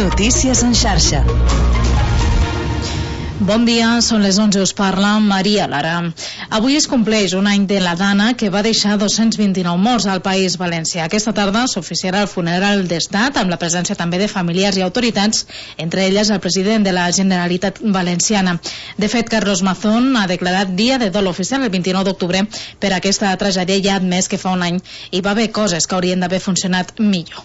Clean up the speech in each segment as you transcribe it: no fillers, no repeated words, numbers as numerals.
Notícies en xarxa. Bon dia, són les 11, us parla Maria Lara. Avui es compleix un any de la Dana que va deixar 229 morts al País Valencià. Aquesta tarda s'oficiarà el funeral d'Estat amb la presència també de familiars i autoritats, entre elles el president de la Generalitat Valenciana. De fet, Carlos Mazón ha declarat dia de dol oficial el 29 d'octubre per aquesta tragèdia i ha admès que fa un any hi va haver coses que haurien d'haver funcionat millor.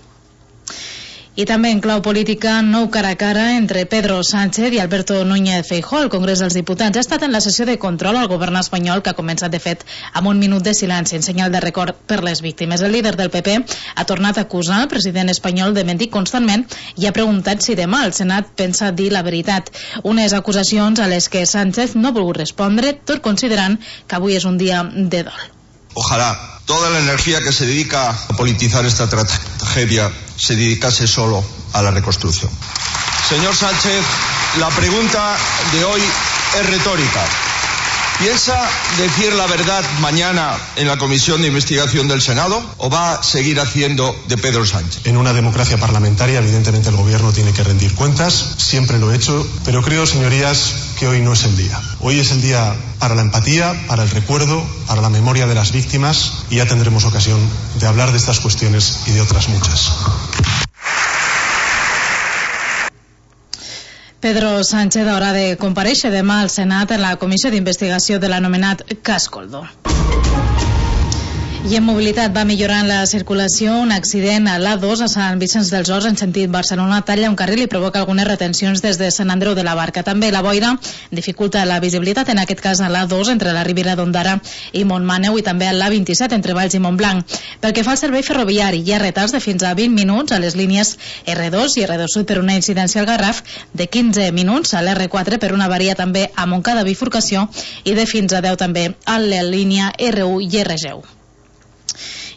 I també en clau política, nou cara a cara entre Pedro Sánchez i Alberto Núñez Feijóo al Congrés dels Diputats. Ha estat en la sessió de control al govern espanyol que ha començat de fet amb un minut de silenci en senyal de record per les víctimes. El líder del PP ha tornat a acusar el president espanyol de mentir constantment i ha preguntat si demà el Senat pensa dir la veritat. Unes acusacions a les que Sánchez no ha volgut respondre, tot considerant que avui és un dia de dol. Ojalá toda la energía que se dedica a politizar esta tragedia se dedicase solo a la reconstrucción. Señor Sánchez, la pregunta de hoy es retórica. ¿Piensa decir la verdad mañana en la comisión de investigación del Senado o va a seguir haciendo de Pedro Sánchez? En una democracia parlamentaria, evidentemente el gobierno tiene que rendir cuentas, siempre lo he hecho, pero creo, señorías, que hoy no es el día. Hoy es el día para la empatía, para el recuerdo, para la memoria de las víctimas y ya tendremos ocasión de hablar de estas cuestiones y de otras muchas. Pedro Sánchez haurà de comparèixer demà al Senat en la comissió d'investigació de l'anomenat cas Coldo. I en mobilitat va millorant la circulació. Un accident a l'A2 a Sant Vicenç dels Horts en sentit Barcelona talla un carril i provoca algunes retencions des de Sant Andreu de la Barca. També la boira dificulta la visibilitat, en aquest cas a l'A2 entre la Ribera d'Ondara i Montmaneu i també a l'A27 entre Valls i Montblanc. Pel que fa al servei ferroviari, hi ha retards de fins a 20 minuts a les línies R2 i R2 Sud per una incidència al Garraf, de 15 minuts a l'R4 per una avaria també a Montcada Bifurcació i de fins a 10 també a la línia R1 i R10.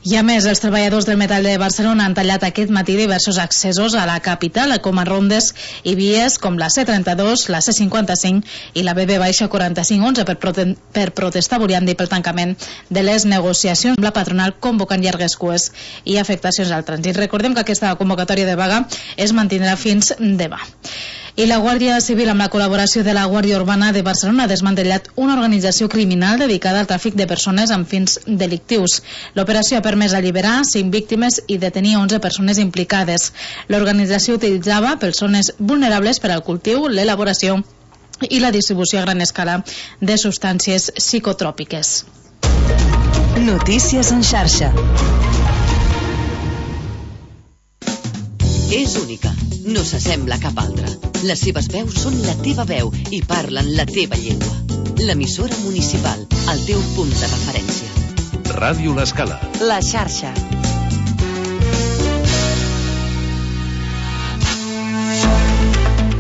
I a més, els treballadors del metall de Barcelona han tallat aquest matí diversos accessos a la capital, com a rondes i vies com la C32, la C55 i la BB-4511 per protestar, volien dir, pel tancament de les negociacions amb la patronal, convocant llargues cues i afectacions al trànsit. Recordem que aquesta convocatòria de vaga es mantindrà fins demà. I la Guàrdia Civil, amb la col·laboració de la Guàrdia Urbana de Barcelona, ha desmantellat una organització criminal dedicada al tràfic de persones amb fins delictius. L'operació ha permès alliberar 5 víctimes i detenir 11 persones implicades. L'organització utilitzava persones vulnerables per al cultiu, l'elaboració i la distribució a gran escala de substàncies psicotròpiques. Notícies en xarxa. És única, no s'assembla a cap altra. Les seves veus són la teva veu i parlen la teva llengua. L'emissora municipal, el teu punt de referència. Ràdio L'Escala. La xarxa.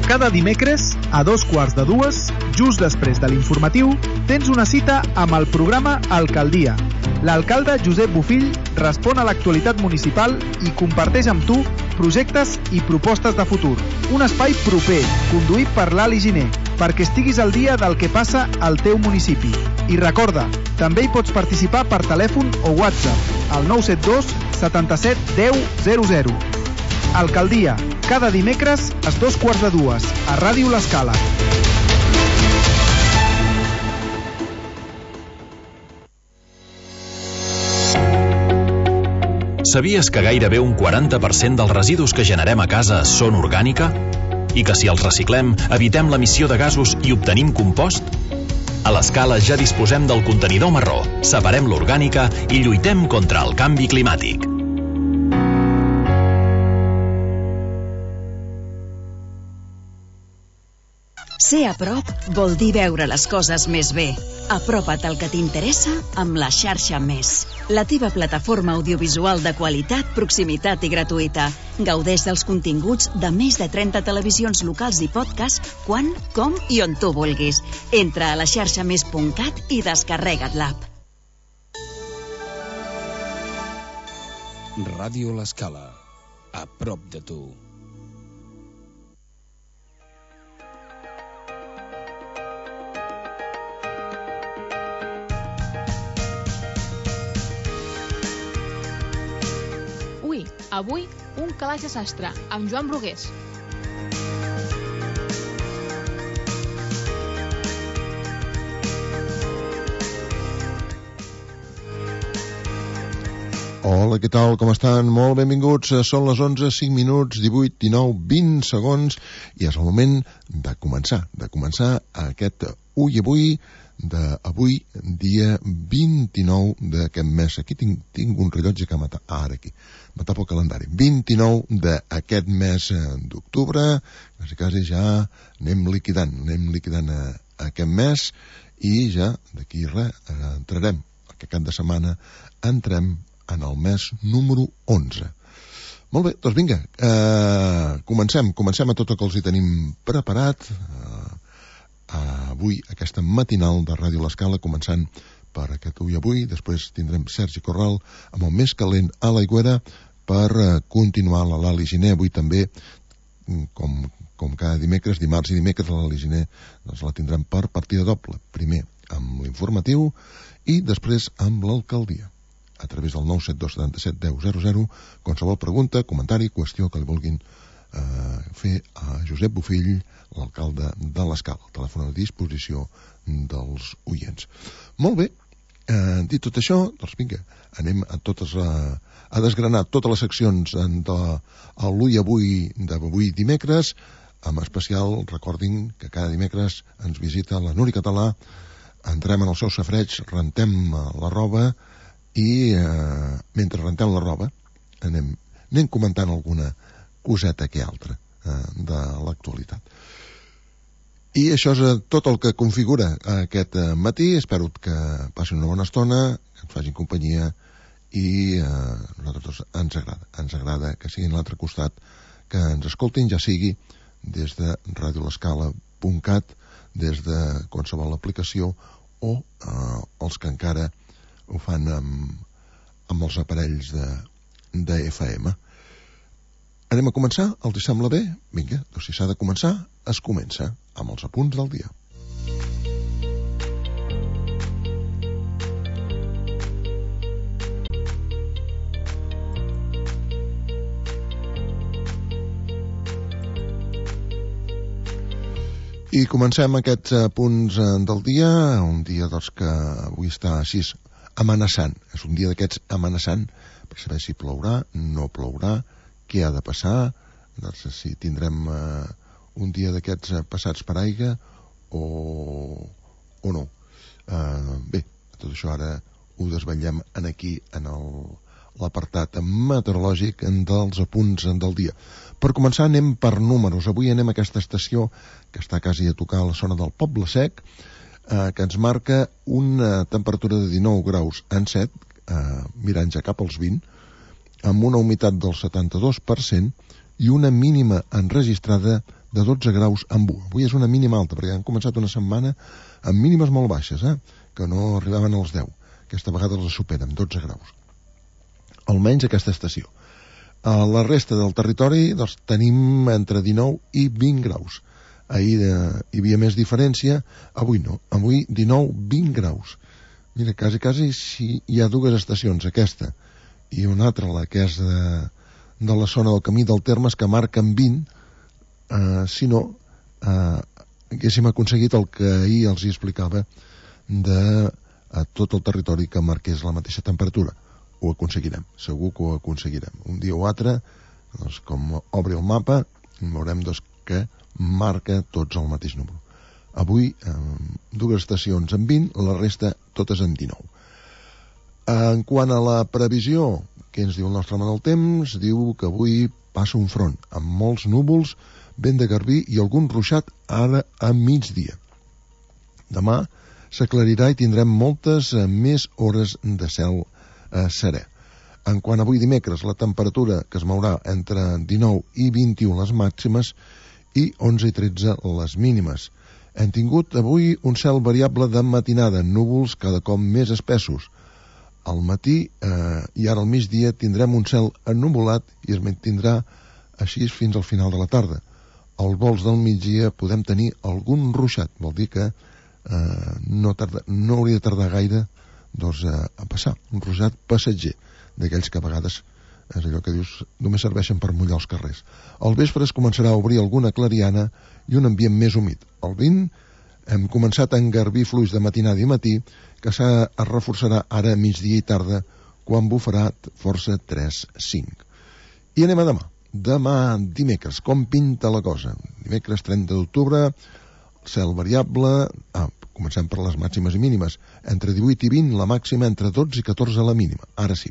Cada dimecres, a 2:15, just després de l'informatiu, tens una cita amb el programa Alcaldia. L'alcalde Josep Bofill respon a l'actualitat municipal i comparteix amb tu projectes i propostes de futur. Un espai proper, conduït per l'Ali Giner, perquè estiguis al dia del que passa al teu municipi. I recorda, també hi pots participar per telèfon o WhatsApp al 972 77 10 00. Alcaldia, cada dimecres a 2:15 a Ràdio L'Escala. Sabies que gairebé un 40% dels residus que generem a casa són orgànica? I que si els reciclem, evitem l'emissió de gasos i obtenim compost? A l'Escala ja disposem del contenidor marró, separem l'orgànica i lluitem contra el canvi climàtic. Ser a prop vol dir veure les coses més bé. Apropa't al que t'interessa amb la xarxa Més. La teva plataforma audiovisual de qualitat, proximitat i gratuïta. Gaudeix dels continguts de més de 30 televisions locals i podcast quan, com i on tu vulguis. Entra a laxarxamés.cat i descarrega't l'app. Ràdio L'Escala. A prop de tu. Avui, un calaix de sastre, amb Joan Brugués. Hola, què tal? Com estan? Molt benvinguts. Són les 11, 5 minuts, 18, 19, 20 segons i és el moment de començar aquest Ui Avui d'avui, dia 29 d'aquest mes. Aquí tinc un rellotge que ara aquí. M'atapo el calendari. 29 d'aquest mes d'octubre. Quasi ja anem liquidant aquest mes i ja d'aquí entrarem. Aquest cap de setmana entrem en el mes número 11. Molt bé, doncs vinga, comencem a tot el que els hi tenim preparat avui, aquesta matinal de Ràdio L'Escala, començant per aquest Ui Avui. Després tindrem Sergi Corral amb el més calent a l'Aigüera per continuar la Lali Giner. Avui també, com cada dimecres, dimarts i dimecres, la Lali Giner la tindrem per partida doble. Primer amb l'informatiu i després amb l'alcaldia, a través del 972 77 10 00, qualsevol pregunta, comentari, qüestió que li vulguin fer a Josep Bofill, l'alcalde de l'Escala. El telèfon a disposició dels oients. Molt bé, dit tot això, doncs vinga, anem a desgranar totes les seccions de l'Ui Avui d'avui dimecres. En especial, recordin que cada dimecres ens visita la Núria Català, entrem en el seu safareig, rentem la roba i mentre rentem la roba anem comentant alguna coseta que altra de l'actualitat. I això és tot el que configura aquest matí. Espero que passin una bona estona, que ens facin companyia i a nosaltres ens agrada que siguin a l'altre costat, que ens escoltin, ja sigui des de radiolescala.cat, des de qualsevol aplicació o els que encara ho fan amb els aparells de FM. Anem a començar? Els hi sembla bé? Vinga, doncs si s'ha de començar, es comença amb els apunts del dia. I comencem aquests punts del dia, un dia doncs, que avui està així amenaçant. És un dia d'aquests amenaçant per saber si plourà, no plourà, què ha de passar, doncs, si tindrem un dia d'aquests passats per aigua o no. Bé, tot això ara ho desvetllem aquí en l'apartat meteorològic dels apunts del dia. Per començar anem per números. Avui anem a aquesta estació que està quasi a tocar la zona del Poble Sec, que ens marca una temperatura de 19 graus en 7, mirant ja cap als 20, amb una humitat del 72% i una mínima enregistrada de 12 graus en 1. Avui és una mínima alta, perquè han començat una setmana amb mínimes molt baixes, que no arribaven als 10. Aquesta vegada els superen, 12 graus. Almenys aquesta estació. A la resta del territori doncs, tenim entre 19 i 20 graus. Ahir hi havia més diferència, avui no. Avui 19-20 graus. Mira, quasi si hi ha dues estacions, aquesta i una altra, la que és de la zona del Camí del Termes, que marquen 20, si no, haguéssim aconseguit el que ahir els explicava de tot el territori que marqués la mateixa temperatura. Ho aconseguirem, segur que ho aconseguirem. Un dia o altre, doncs, com obri el mapa, veurem doncs, que marca tots el mateix número. Avui, dues estacions en 20, la resta totes en 19. En quant a la previsió, què ens diu el nostre home del temps? Diu que avui passa un front amb molts núvols, vent de garbí i algun ruixat ara a migdia. Demà s'aclarirà i tindrem moltes més hores de cel serè. En quant a avui dimecres, la temperatura que es mourà entre 19 i 21 les màximes i 11 i 13 les mínimes. Hem tingut avui un cel variable de matinada, núvols cada cop més espessos. Al matí i ara al migdia tindrem un cel ennuvolat i es mantindrà així fins al final de la tarda. Als volts del migdia podem tenir algun ruixat, vol dir que no hauria de tardar gaire doncs, a passar, un ruixat passatger, d'aquells que a vegades és allò que dius, només serveixen per mullar els carrers. Al vespre es començarà a obrir alguna clariana i un ambient més humit. El vent hem començat a engarbir fluix de matinada i matí, que es reforçarà ara a migdia i tarda quan bufarà força 3-5. I anem a demà. Demà, dimecres, com pinta la cosa? Dimecres 30 d'octubre, cel variable, comencem per les màximes i mínimes, entre 18 i 20, la màxima entre 12 i 14 la mínima. Ara sí.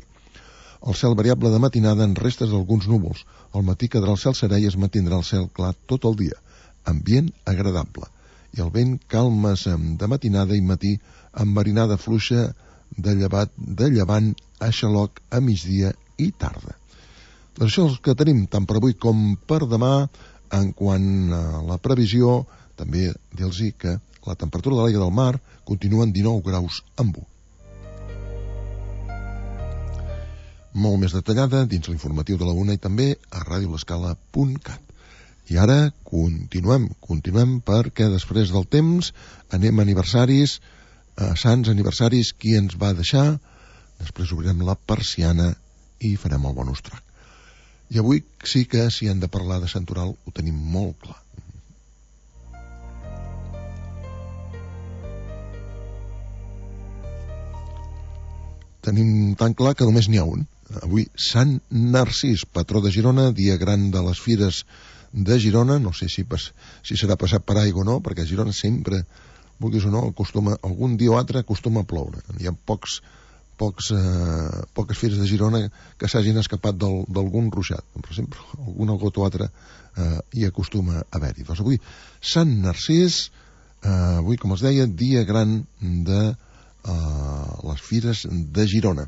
El cel variable de matinada en restes d'alguns núvols. Al matí quedarà el cel serè i es mantindrà el cel clar tot el dia. Ambient agradable. I el vent calmes de matinada i matí amb marinada fluixa de llevant a xaloc a migdia i tarda. Doncs això és el que tenim tant per avui com per demà. En quant a la previsió, també dir-los que la temperatura de l'aigua del mar continua en 19 graus amb 1. Molt més detallada dins l'informatiu de la UNA i també a radiolescala.cat. I ara continuem perquè després del temps anem a aniversaris, a sants aniversaris, qui ens va deixar, després obrirem la persiana i farem el bonus track. I avui sí que si hem de parlar de Santoral ho tenim molt clar. Tenim tan clar que només n'hi ha un. Avui, Sant Narcís, patró de Girona, dia gran de les fires de Girona. No sé si serà passat per aigua o no, perquè a Girona sempre, vulguis o no, algun dia o altre acostuma a ploure. Hi ha poques fires de Girona que s'hagin escapat d'algun ruixat, però sempre alguna gota o altra hi acostuma a haver-hi. Doncs avui, Sant Narcís, avui, com els deia, dia gran de les fires de Girona.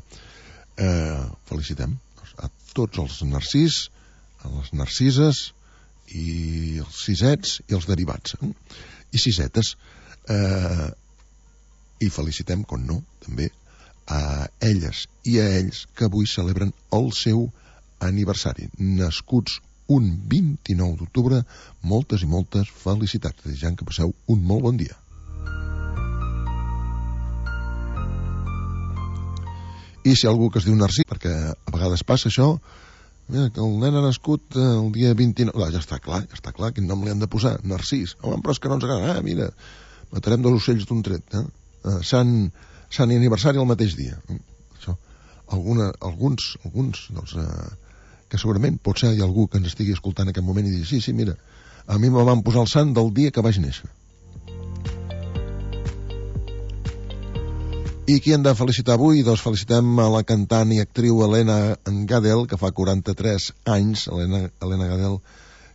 Felicitem a tots els narcís, a les narcises i els sisets i els derivats i sisetes, i felicitem, com no, també a elles i a ells que avui celebren el seu aniversari, nascuts un 29 d'octubre. Moltes i moltes felicitats, desitjant que passeu un molt bon dia. I si algú que es diu Narcís, perquè a vegades passa això, mira, que el nen ha nascut el dia 29... Ja està clar, quin nom li han de posar? Narcís. Home, però és que no ens agrada. Mira, matarem 2 ocells d'un tret. Sant aniversari el mateix dia. Això. Alguns doncs, que segurament potser hi ha algú que ens estigui escoltant en aquest moment i digui, sí, mira, a mi me van posar el sant del dia que vaig néixer. I qui hem de felicitar avui? Doncs felicitem a la cantant i actriu Helena Gadel, que fa 43 anys, Helena Gadel,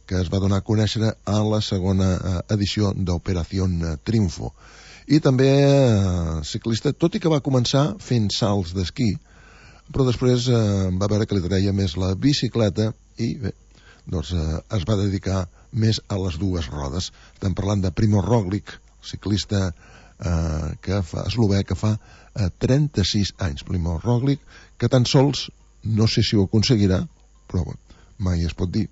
que es va donar a conèixer a la segona edició d'Operación Triunfo. I també ciclista, tot i que va començar fent salts d'esquí, però després va veure que li treia més la bicicleta i bé, doncs es va dedicar més a les dues rodes. Estem parlant de Primož Roglič, ciclista eslovè que fa 36 anys. Primož Roglič, que tan sols, no sé si ho aconseguirà, però mai es pot dir,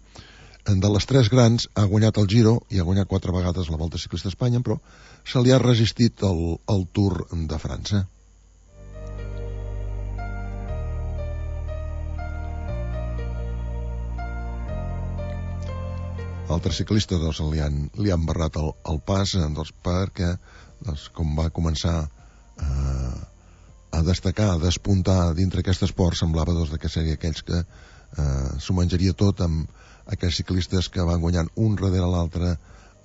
de les 3 grans ha guanyat el Giro i ha guanyat 4 vegades la Volta Ciclista a Espanya, però se li ha resistit el Tour de França. Altres ciclistes doncs, li han barrat el pas doncs, perquè com va començar a destacar, a despuntar dintre aquest esport, semblava que seria aquells que s'ho menjaria tot amb aquells ciclistes que van guanyant un darrere l'altre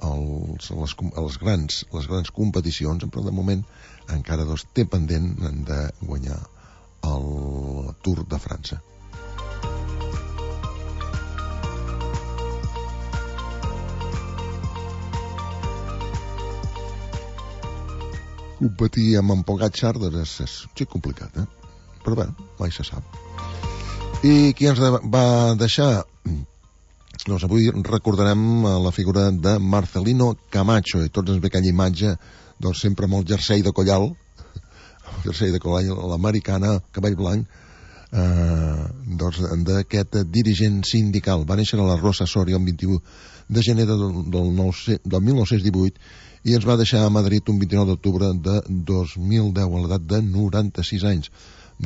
les grans competicions, però de moment encara té pendent de guanyar el Tour de França. Competir amb en Pogačar és complicat, però bé, mai se sap. I qui ens va deixar? Doncs avui recordarem la figura de Marcelino Camacho, i tots ens ve aquella imatge doncs sempre amb el jersei de collal, l'americana, cabell blanc, doncs d'aquest dirigent sindical. Va néixer a la Rosa Soria el 21 de gener del 1918 i ens va deixar a Madrid un 29 d'octubre de 2010 a l'edat de 96 anys.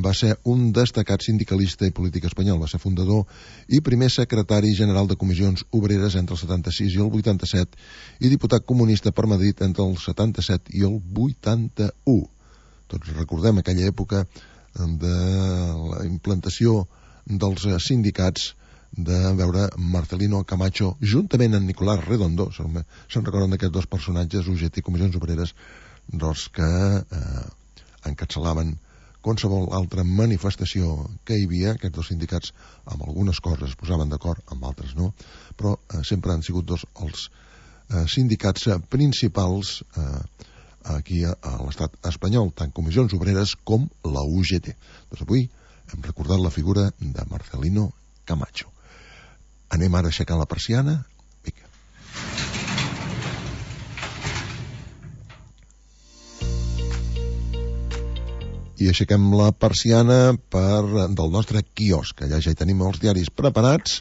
Va ser un destacat sindicalista i polític espanyol. Va ser fundador i primer secretari general de comissions obreres entre el 76 i el 87 i diputat comunista per Madrid entre el 77 i el 81. Tots recordem aquella època de la implantació dels sindicats de veure Marcelino Camacho juntament amb Nicolás Redondo, se'n recorden d'aquests dos personatges, UGT i Comissions Obreres, doncs que encapçalaven qualsevol altra manifestació que hi havia. Aquests dos sindicats amb algunes coses es posaven d'acord, amb altres no, però sempre han sigut dos els sindicats principals aquí a l'estat espanyol, tant Comissions Obreres com la UGT. Doncs avui hem recordat la figura de Marcelino Camacho. Anem ara a aixecar la persiana. Vinga. I aixequem la persiana del nostre quiosc. Allà ja hi tenim els diaris preparats,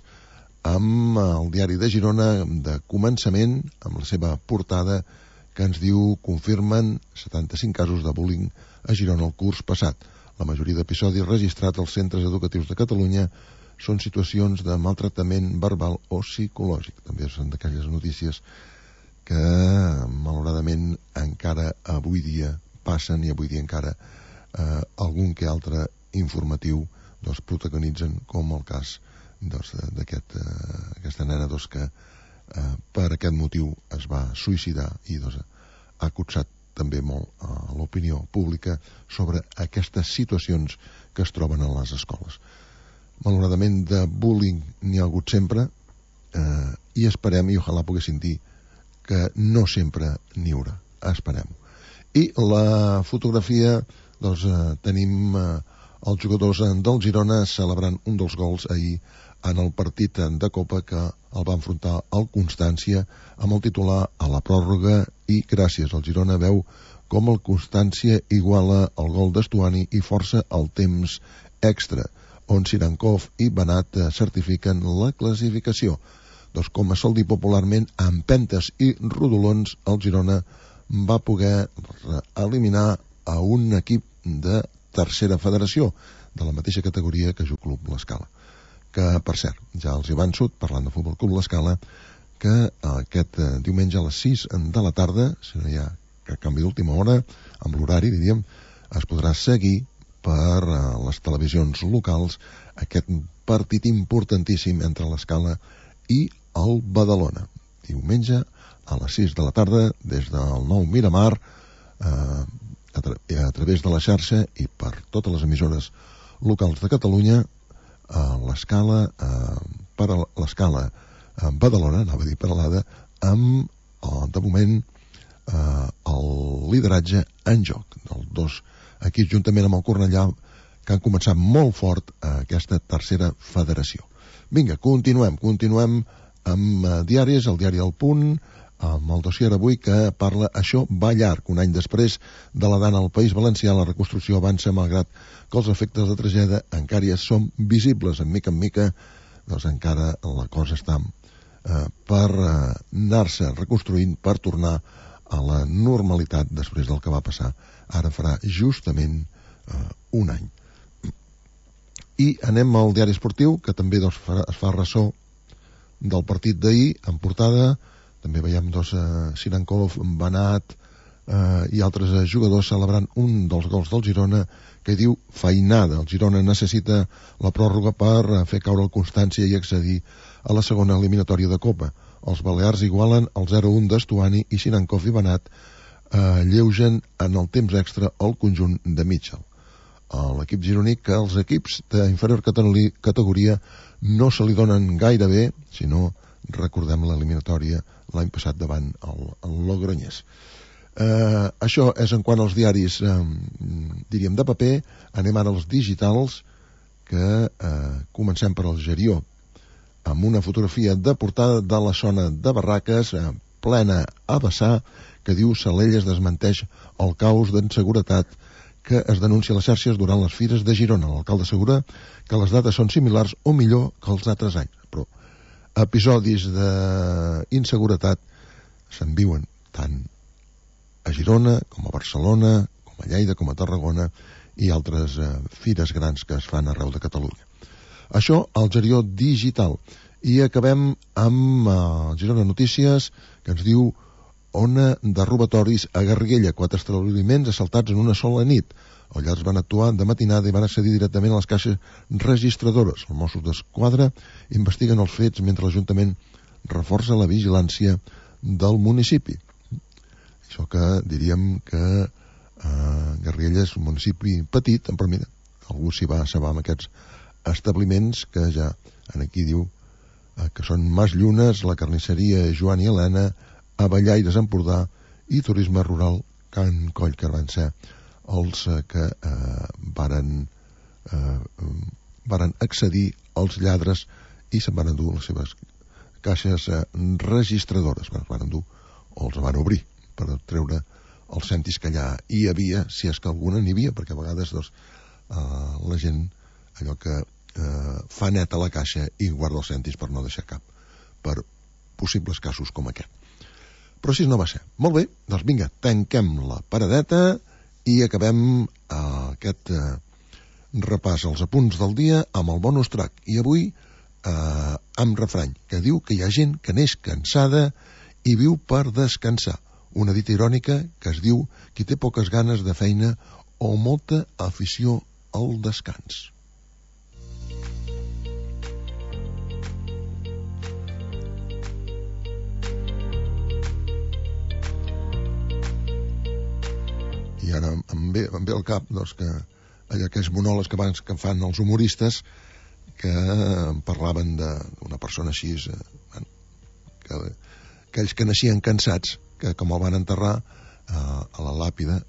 amb el diari de Girona de començament, amb la seva portada que ens diu: confirmen 75 casos de bullying a Girona el curs passat. La majoria d'episodis registrats als centres educatius de Catalunya són situacions de maltractament verbal o psicològic. També són d'aquelles notícies que malauradament encara avui dia passen, i avui dia encara algun que altre informatiu doncs, protagonitzen, com el cas d'aquesta nena que per aquest motiu es va suïcidar i ha cotsat també molt a l'opinió pública sobre aquestes situacions que es troben a les escoles. Malauradament de bullying n'hi ha hagut sempre, i esperem, i ojalà poguéssim dir, que no sempre n'hi haurà. Esperem. I la fotografia, doncs tenim els jugadors del Girona celebrant un dels gols ahir en el partit de Copa que el va enfrontar al Constància amb el titular a la pròrroga, i gràcies al Girona veu com el Constància iguala el gol d'Estuani i força el temps extra, on Sirankov i Benat certifiquen la classificació. Doncs com es sol dir popularment, amb pentes i rodolons, el Girona va poder eliminar a un equip de tercera federació, de la mateixa categoria que Joc Club L'Escala. Que, per cert, ja els hi avanço, parlant de Futbol Club L'Escala, que aquest diumenge a les 6 de la tarda, si no hi ha cap canvi d'última hora, amb l'horari, diríem, es podrà seguir per les televisions locals aquest partit importantíssim entre l'Escala i el Badalona. Diumenge a les 6 de la tarda, des del nou Miramar, a través de la xarxa i per totes les emissores locals de Catalunya, l'Escala per a l'Escala Badalona, anava a dir Peralada, amb de moment el lideratge en joc dels dos equips, juntament amb el Cornellà, que han començat molt fort aquesta tercera federació. Vinga, continuem amb diaris, el diari El Punt, amb el dossier avui que parla "Això va llarg". Un any després de la dana al País Valencià, la reconstrucció avança malgrat que els efectes de tragèdia encara són visibles. En mica, doncs encara la cosa està per anar-se reconstruint, per tornar a la normalitat després del que va passar. Ara farà justament un any. I anem al diari esportiu, que també es fa ressò del partit d'ahir, en portada. També veiem Sirankov, Benat i altres jugadors celebrant un dels gols del Girona, que diu feinada. El Girona necessita la pròrroga per fer caure el Constància i accedir a la segona eliminatòria de Copa. Els balears igualen el 0-1 d'Estuani i Sirankov i Benat lleugen en el temps extra el conjunt de Mitchell. L'equip gironí, que els equips d'inferior categoria no se li donen gaire bé, sinó recordem l'eliminatòria l'any passat davant el Logroñés. Això és en quant als diaris, diríem, de paper. Anem ara als digitals, que comencem per al Gerió, amb una fotografia de portada de la zona de Barraques, plena a vessar, que diu Salelles desmenteix el caos d'inseguretat que es denuncia a les xarxes durant les fires de Girona. L'alcalde assegura que les dates són similars o millor que els altres anys, però episodis d'inseguretat se'n viuen tant a Girona com a Barcelona, com a Lleida, com a Tarragona i altres fires grans que es fan arreu de Catalunya. Això al Gerió digital. I acabem amb Girona Notícies, que ens diu ona de robatoris a Garriguella, 4 establiments assaltats en una sola nit. Els lladres van actuar de matinada i van accedir directament a les caixes registradores. Els Mossos d'Esquadra investiguen els fets mentre l'Ajuntament reforça la vigilància del municipi. Això que diríem que Garriguella és un municipi petit, però mira, algú s'hi va assabar amb aquests establiments que ja aquí diu que són Mas Llunes, la carnisseria Joan i Helena, Avellaires Empordà i Turisme Rural Can Coll, que van ser els que varen accedir als lladres i se'n van endur les seves caixes registradores. Van endur o els van obrir per treure els cèntims que allà hi havia, si és que alguna n'hi havia, perquè a vegades la gent allò que fa net a la caixa i guarda els cèntims per no deixar cap, per possibles casos com aquest. Però així no va ser. Molt bé, doncs vinga, tanquem la paradeta i acabem aquest repàs als apunts del dia amb el bonus track. I avui amb refrany que diu que hi ha gent que neix cansada i viu per descansar. Una dita irònica que es diu qui té poques ganes de feina o molta afició al descans. I ara em ve al cap doncs, que aquells monòlegs que fan els humoristes que parlaven d'una persona així, aquells que naixien cansats, que com el van enterrar a la làpida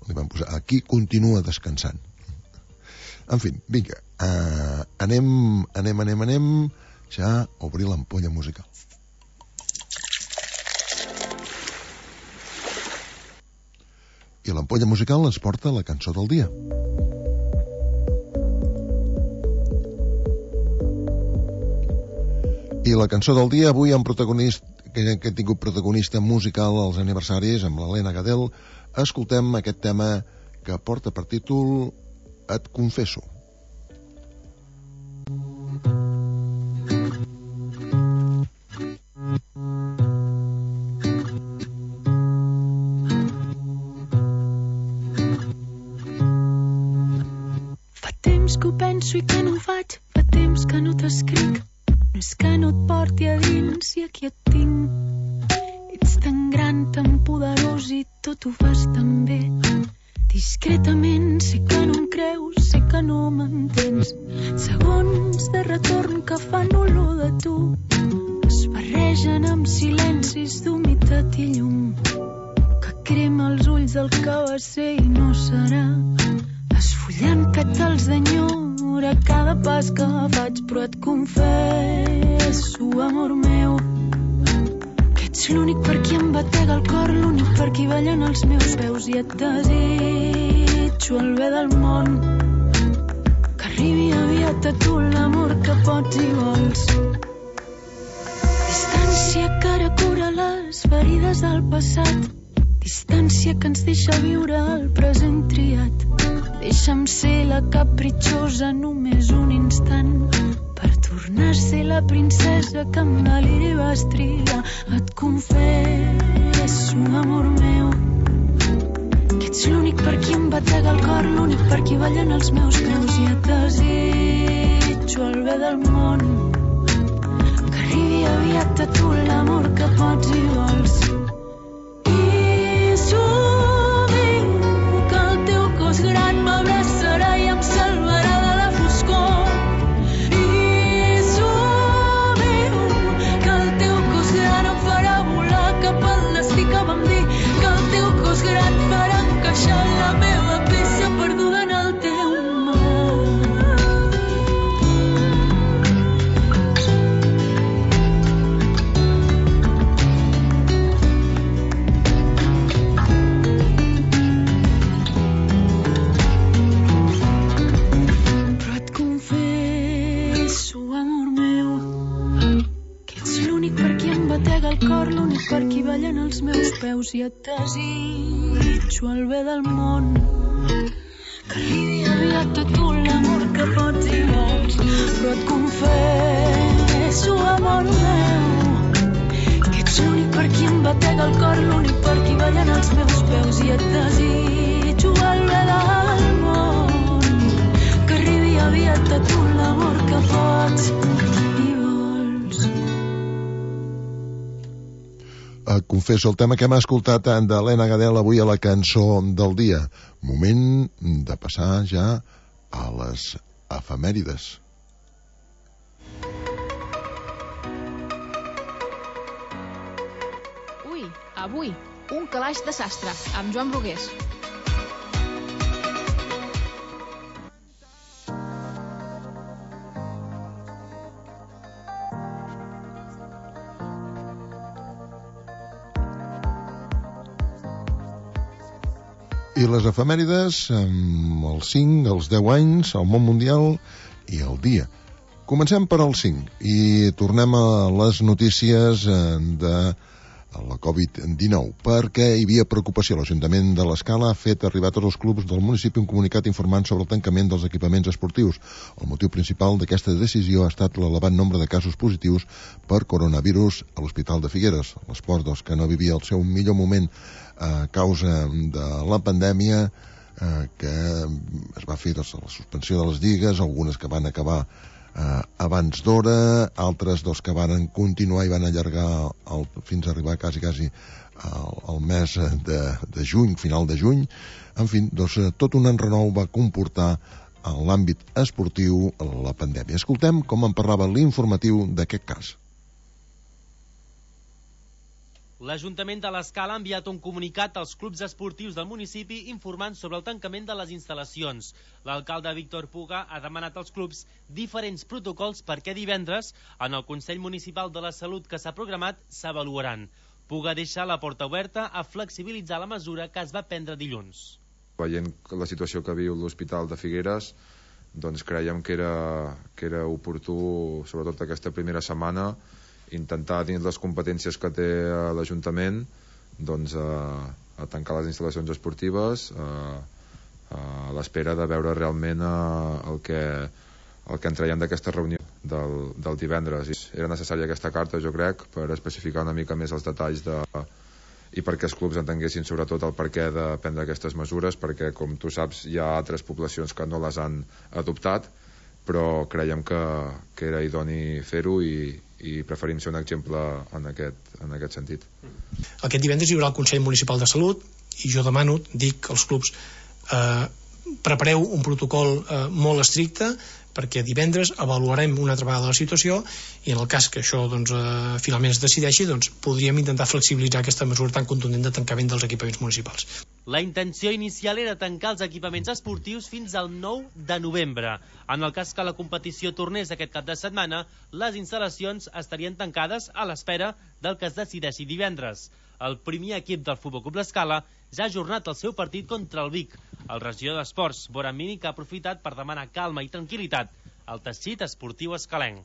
li van posar aquí continua descansant. En fi, vinga, anem ja a obrir l'ampolla musical. I l'ampolla musical ens porta la cançó del dia. I la cançó del dia avui amb protagonista, que he tingut protagonista musical als aniversaris amb l'Helena Gadel, escoltem aquest tema que porta per títol Et confesso. Que ho penso i que no ho faig, fa temps que no t'escric. No és que no et porti a dins i aquí et tinc. Ets tan gran, tan poderós i tot ho fas tan bé. Discretament sé que no em creus, sé que no m'entens. Segons de retorn que fan olor de tu es barregen amb silencis d'humitat i llum que crema els ulls del que va ser i no serà. Esfollant pètals d'enyor a cada pas que faig, però et confesso, amor meu, que ets l'únic per qui em batega el cor, l'únic per qui ballen els meus peus, i et desitjo el bé del món, que arribi aviat a tu l'amor que pots i vols. Distància que ara cura les ferides del passat, distància que ens deixa viure el present triat. Deixa'm ser la capritxosa només un instant per tornar a ser la princesa que amb deliri vas triar. Et confesso, amor meu, que ets l'únic per qui em batega el cor, l'únic per qui ballen els meus peus, i et desitjo el bé del món, que arribi aviat a tu l'amor que pots i vols. Gran m'abraçarà i em salvarà de la foscor. I somio que el teu cos gran em farà volar cap al destí que vam dir, que el teu cos gran farà encaixar la meva peça perduda en el teu mar. El cor, l'únic per qui ballen els meus peus, i et desitjo el bé del món, que arribi aviat a tu l'amor que pots i vols. Però et confesso, amor meu, que ets l'únic per qui em batega el cor, l'únic per als meus peus i et desitjo el bé del món, que arribi aviat a tu l'amor que pots i vols. Confesso el tema que hem escoltat d'Helena Gadel avui a la cançó del dia. Moment de passar ja a les efemèrides. Ui, avui, un calaix de sastre, amb Joan Brugués. I les efemèrides amb els 5, els 10 anys, el món mundial i el dia. Comencem per al 5 i tornem a les notícies de la Covid-19, perquè hi havia preocupació. L'Ajuntament de l'Escala ha fet arribar a tots els clubs del municipi un comunicat informant sobre el tancament dels equipaments esportius. El motiu principal d'aquesta decisió ha estat l'elevat nombre de casos positius per coronavirus a l'Hospital de Figueres. L'esport que no vivia el seu millor moment a causa de la pandèmia, que es va fer la suspensió de les lligues, algunes que van acabar abans d'hora, altres que van continuar i van allargar fins a arribar quasi al mes de juny, final de juny. En fi, tot un enrenou va comportar en l'àmbit esportiu la pandèmia. Escoltem com en parlava l'informatiu d'aquest cas. L'Ajuntament de l'Escala ha enviat un comunicat als clubs esportius del municipi informant sobre el tancament de les instal·lacions. L'alcalde Víctor Puga ha demanat als clubs diferents protocols perquè divendres, en el Consell Municipal de la Salut que s'ha programat, s'avaluaran. Puga deixa la porta oberta a flexibilitzar la mesura que es va prendre dilluns. Veient la situació que viu l'Hospital de Figueres, doncs creiem que era oportú, sobretot aquesta primera setmana, intentar, dins les competències que té l'Ajuntament, doncs a tancar les instal·lacions esportives a l'espera de veure realment el que en traiem d'aquesta reunió del divendres. Era necessària aquesta carta, jo crec, per especificar una mica més els detalls i perquè els clubs entenguessin sobretot el perquè de prendre aquestes mesures, perquè, com tu saps, hi ha altres poblacions que no les han adoptat, però creiem que era idoni fer-ho i preferim ser un exemple en aquest sentit. Aquest divendres hi haurà el Consell Municipal de Salut i jo demano, dic als clubs, prepareu un protocol molt estricte perquè divendres avaluarem una altra vegada la situació i en el cas que això finalment es decideixi, podríem intentar flexibilitzar aquesta mesura tan contundent de tancament dels equipaments municipals. La intenció inicial era tancar els equipaments esportius fins al 9 de novembre. En el cas que la competició tornés aquest cap de setmana, les instal·lacions estarien tancades a l'espera del que es decideixi divendres. El primer equip del Futbol Club l'Escala ja ha ajornat el seu partit contra el Vic. El regidor d'Esports, Boramini, que ha aprofitat per demanar calma i tranquil·litat al teixit esportiu escalenc.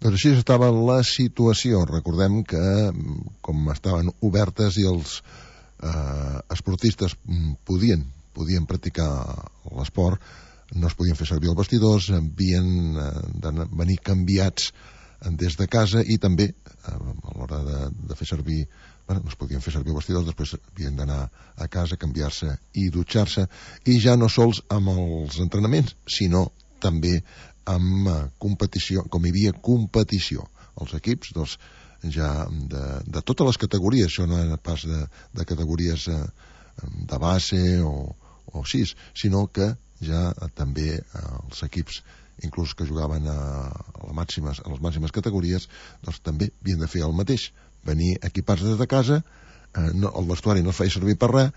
Doncs així estava la situació. Recordem que, com estaven obertes i els esportistes podien practicar l'esport, no es podien fer servir els vestidors, havien de venir canviats des de casa i també a l'hora de fer servir, no es podien fer servir vestidors, després havien d'anar a casa, canviar-se i dutxar-se, i ja no sols amb els entrenaments, sinó també amb competició, com hi havia competició. Els equips, ja de totes les categories, això no era pas de categories de base o així, sinó que ja també els equips inclús que jugaven a les màximes categories, doncs també havien de fer el mateix, venir equipats des de casa, el vestuari no es feia servir per res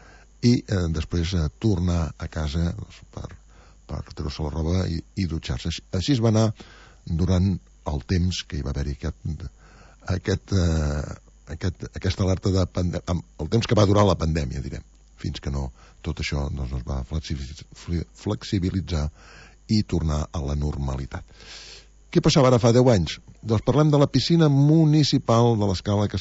i després tornar a casa per treure-se la roba i dutxar-se. Així es va anar durant el temps que hi va haver-hi aquesta alerta el temps que va durar la pandèmia, direm, fins que tot això no es va flexibilitzar i tornar a la normalitat. Què passava ara fa 10 anys? Doncs parlem de la piscina municipal de l'Escala que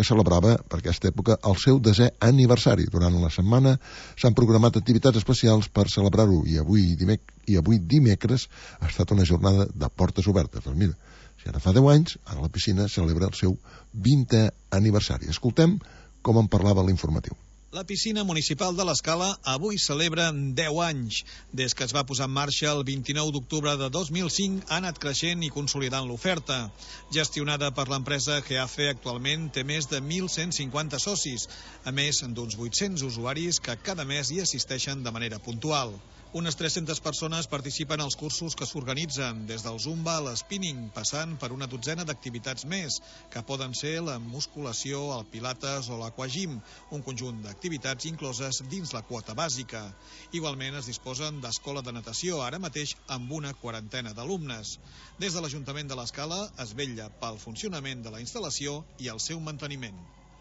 celebrava per aquesta època el seu 10è aniversari. Durant la setmana s'han programat activitats especials per celebrar-ho i avui dimecres ha estat una jornada de portes obertes. Doncs mira, si ara fa 10 anys, ara la piscina celebra el seu 20è aniversari. Escoltem com en parlava l'informatiu. La piscina municipal de l'Escala avui celebra 10 anys. Des que es va posar en marxa el 29 d'octubre de 2005 ha anat creixent i consolidant l'oferta. Gestionada per l'empresa GEAFE, actualment té més de 1.150 socis, a més d'uns 800 usuaris que cada mes hi assisteixen de manera puntual. Unes 300 persones participen als cursos que s'organitzen, des del zumba a l'spinning, passant per una dotzena d'activitats més, que poden ser la musculació, el pilates o l'aquagym, un conjunt d'activitats incloses dins la quota bàsica. Igualment es disposen d'escola de natació, ara mateix amb una 40 d'alumnes. Des de l'Ajuntament de l'Escala es vetlla pel funcionament de la instal·lació i el seu manteniment.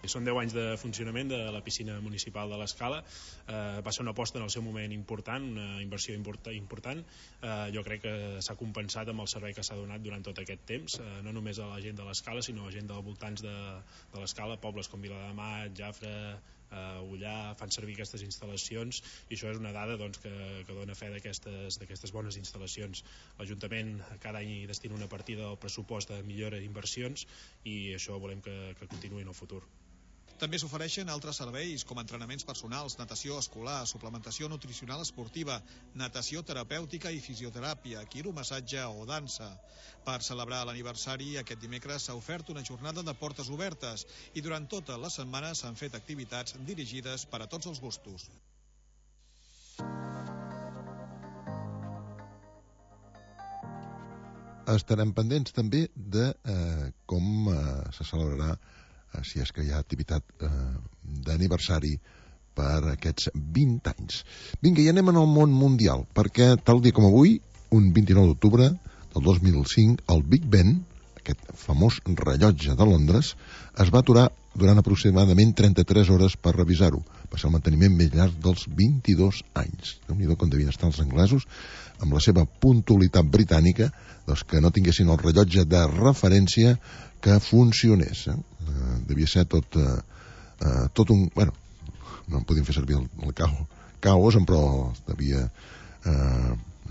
Són 10 anys de funcionament de la piscina municipal de l'Escala. Va ser una aposta en el seu moment important, una inversió important. Jo crec que s'ha compensat amb el servei que s'ha donat durant tot aquest temps, no només a la gent de l'Escala, sinó a la gent dels voltants de l'Escala, pobles com Viladamat, Jafre, Ullà, fan servir aquestes instal·lacions, i això és una dada que dona fe d'aquestes bones instal·lacions. L'Ajuntament cada any destina una partida del pressupost de millora d'inversions, i això volem que continuï en el futur. També s'ofereixen altres serveis com entrenaments personals, natació escolar, suplementació nutricional esportiva, natació terapèutica i fisioteràpia, quiromassatge o dansa. Per celebrar l'aniversari, aquest dimecres s'ha ofert una jornada de portes obertes i durant tota la setmana s'han fet activitats dirigides per a tots els gustos. Estarem pendents també de com se celebrarà, si és que hi ha activitat d'aniversari per aquests 20 anys. Vinga, i anem al món mundial, perquè tal dia com avui, un 29 d'octubre del 2005, el Big Ben, aquest famós rellotge de Londres, es va aturar durant aproximadament 33 hores per revisar-ho. Va ser el manteniment més llarg dels 22 anys. Déu-n'hi-do com devien estar els anglesos, amb la seva puntualitat britànica, que no tinguessin el rellotge de referència que funcionés. Devia ser tot un... Bueno, no en podíem fer servir el caos, però devia...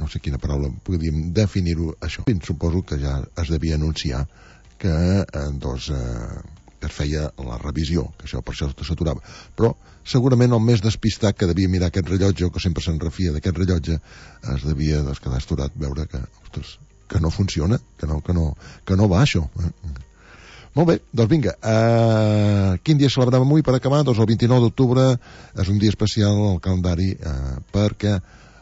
no sé quina paraula podíem definir-ho, això. Suposo que ja es devia anunciar que es feia la revisió, que això per això s'aturava. Però segurament el més despistat que devia mirar aquest rellotge, o que sempre se'n refia d'aquest rellotge, es devia quedar esturat veure que, ostres, que no funciona, que no va això. Molt bé, doncs vinga, quin dia celebrem avui per acabar? Doncs el 29 d'octubre és un dia especial al calendari perquè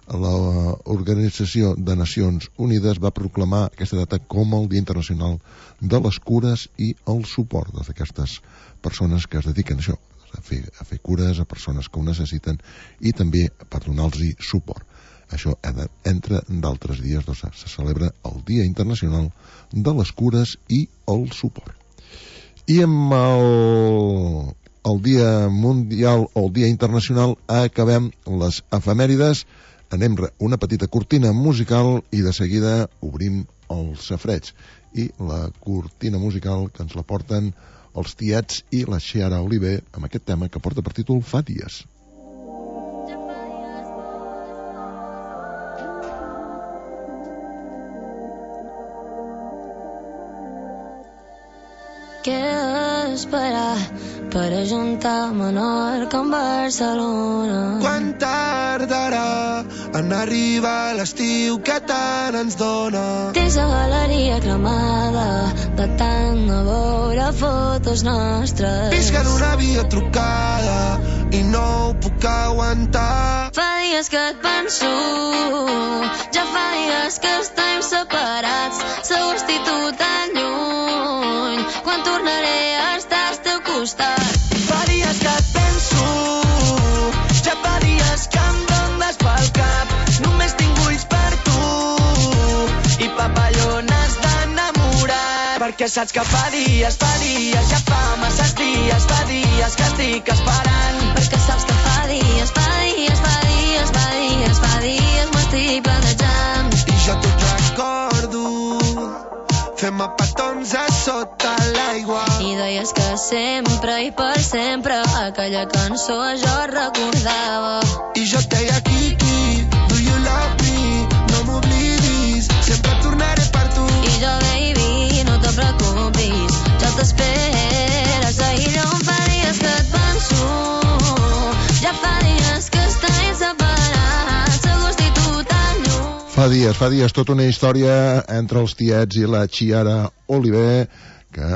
l'Organització de Nacions Unides va proclamar aquesta data com el Dia Internacional de les Cures i el Suport d'aquestes persones que es dediquen a això, a fer cures a persones que ho necessiten i també per donar-los suport. Això, entre d'altres dies, se celebra el Dia Internacional de les Cures i el Suport. I amb el Dia Mundial o el Dia Internacional acabem les efemèrides. Anem una petita cortina musical i de seguida obrim els safareig. I la cortina musical que ens la porten els Tiets i la Xiara Oliver amb aquest tema que porta per títol Fa dies. Què esperar per ajuntar Menorca amb Barcelona? Quan tardarà en arribar l'estiu que tant ens dona? Tens la galeria cremada de tant a veure fotos nostres. Visc en una videotrucada i no ho puc aguantar. Fa dies que et penso, ja fa dies que estem separats. Segur estic tu tan lluny, quan tornaré a estar al teu costat. Fa dies que et penso, ja fa dies que em rondes pel cap. Només tinc ulls per tu i papallones d'enamorat. Perquè saps que fa dies, ja fa masses dies, fa dies que estic esperant. Perquè saps que fa dies m'estic planejant. I jo tot recordo, fem petons a sota l'aigua. I deies que sempre i per sempre aquella cançó jo recordava. I jo et deia Kiki, do you love me? No m'oblidis, sempre tornaré per tu. I jo baby, no te preocupis, jo t'esperes. Ahir on fa dies que et penso, Fa dies, tota una història entre els tiets i la Chiara Oliver, que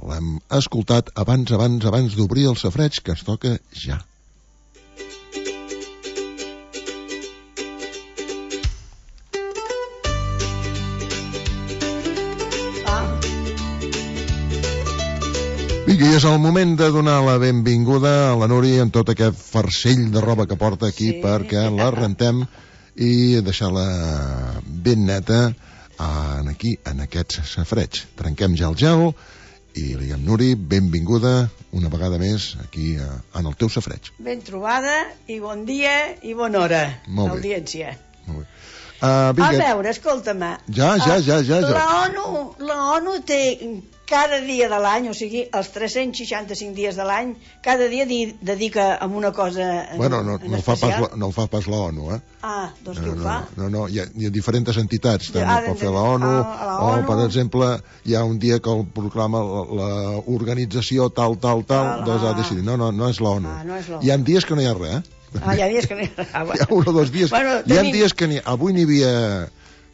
l'hem escoltat abans d'obrir el safareig, que es toca ja. Vinga, i és el moment de donar la benvinguda a la Núria amb tot aquest farcell de roba que porta aquí, perquè la rentem i deixar-la ben neta aquí, en aquest safareig. Trenquem ja el gel i li diem, Nuri, benvinguda una vegada més aquí en el teu safareig. Ben trobada i bon dia i bona hora, audiència. Molt bé. A veure, escolta'm. Ja. La ONU té cada dia de l'any, o sigui, els 365 dies de l'any, cada dia dedica a una cosa bueno, no fa pas la ONU, eh? Ah, doncs qui ho fa? No, hi ha diferents entitats, també pot fer la ONU, o, per exemple, hi ha un dia que el proclama l'organització tal, doncs ha decidit, no és la ONU. Hi ha dies que no hi ha res, hi ha dies que no hi ha res. Hi ha un o dos dies. Hi ha dies que avui n'hi havia...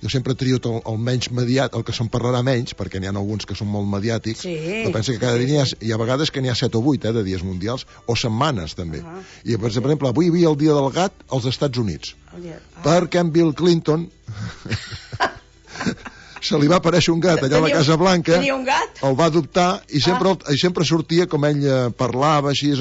Jo sempre trio el menys mediàtic, el que se'n parlarà menys, perquè n'hi ha alguns que són molt mediàtics, però penso que cada dia hi ha vegades que n'hi ha 7 o 8 de dies mundials, o setmanes també. I per exemple, avui hi havia el dia del gat als Estats Units, perquè en Bill Clinton se li va aparèixer un gat allà a la Casa Blanca, el va adoptar i sempre sortia, com ell parlava així,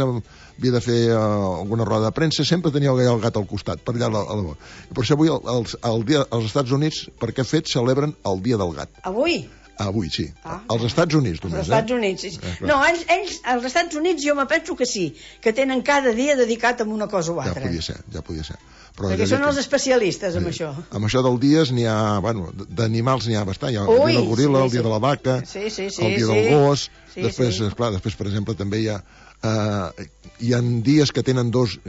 havia de fer alguna roda de premsa, sempre tenia el gat al costat, per allà a la I per això avui als Estats Units, per què fet, celebren el dia del gat. Avui? Avui, sí. Als Estats Units, només. Als Estats Units, sí. No, ells, als Estats Units jo me penso que sí, que tenen cada dia dedicat a una cosa o altra. Ja podia ser. Perquè són els especialistes en això. Amb això del dies n'hi ha, d'animals n'hi ha bastant. Hi ha el dia del goril·la, el dia de la vaca, el dia del gos. Després, per exemple, també hi ha dies que tenen dues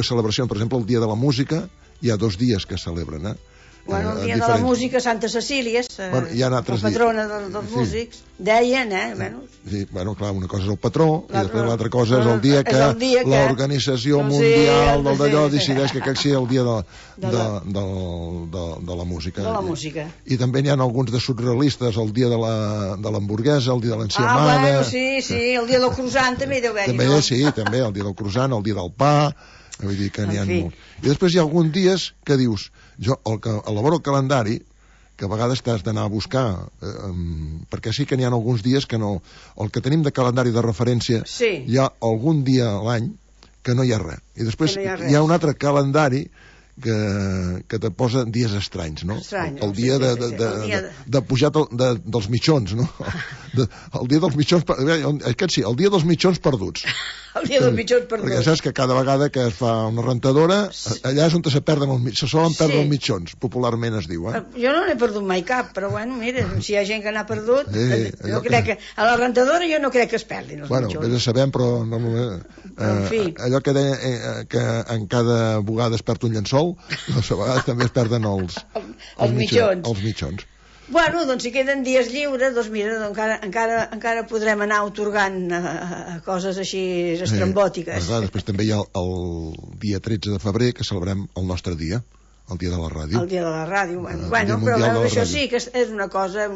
celebracions. Per exemple, el dia de la música, hi ha 2 dies que es celebren, Bueno, el dia de la música, Santa Cecília, la patrona dels músics, deien, Sí, clar, una cosa és el patró i després l'altra cosa és el dia que l'Organització Mundial del d'allò decideix que aquest sigui el dia de la música. De la música. I també n'hi ha alguns de surrealistes, el dia de l'hamburguesa, el dia de l'enciamada... Sí, el dia del croissant també deu haver-hi, no? Sí, també, el dia del croissant, el dia del pa... Vull dir que n'hi ha molts. I després hi ha alguns dies que dius, jo elaboro el calendari, que a vegades t'has d'anar a buscar, perquè sí que n'hi ha alguns dies que no... El que tenim de calendari de referència, hi ha algun dia a l'any que no hi ha res. I després hi ha un altre calendari que te posa dies estranys, no? El dia de pujar dels mitjons, no? El dia dels mitjons... Aquest sí, el dia dels mitjons perduts. El dia dels mitjons perduts. Perquè saps que cada vegada que es fa una rentadora, allà és on se solen perdre els mitjons, popularment es diu, Jo no n'he perdut mai cap, però bueno, mira, si hi ha gent que n'ha perdut, jo crec que a la rentadora jo no crec que es perdin els mitjons. Bueno, sabem, però allò que deia que en cada bugada es perd un llençol, doncs a vegades també es perden els mitjons. Bueno, doncs si queden dies lliures, doncs mira, encara podrem anar otorgant coses així estrambòtiques. Després també hi ha el dia 13 de febrer, que celebrem el nostre dia, el dia de la ràdio. El dia de la ràdio. Bueno, però això sí que és una cosa...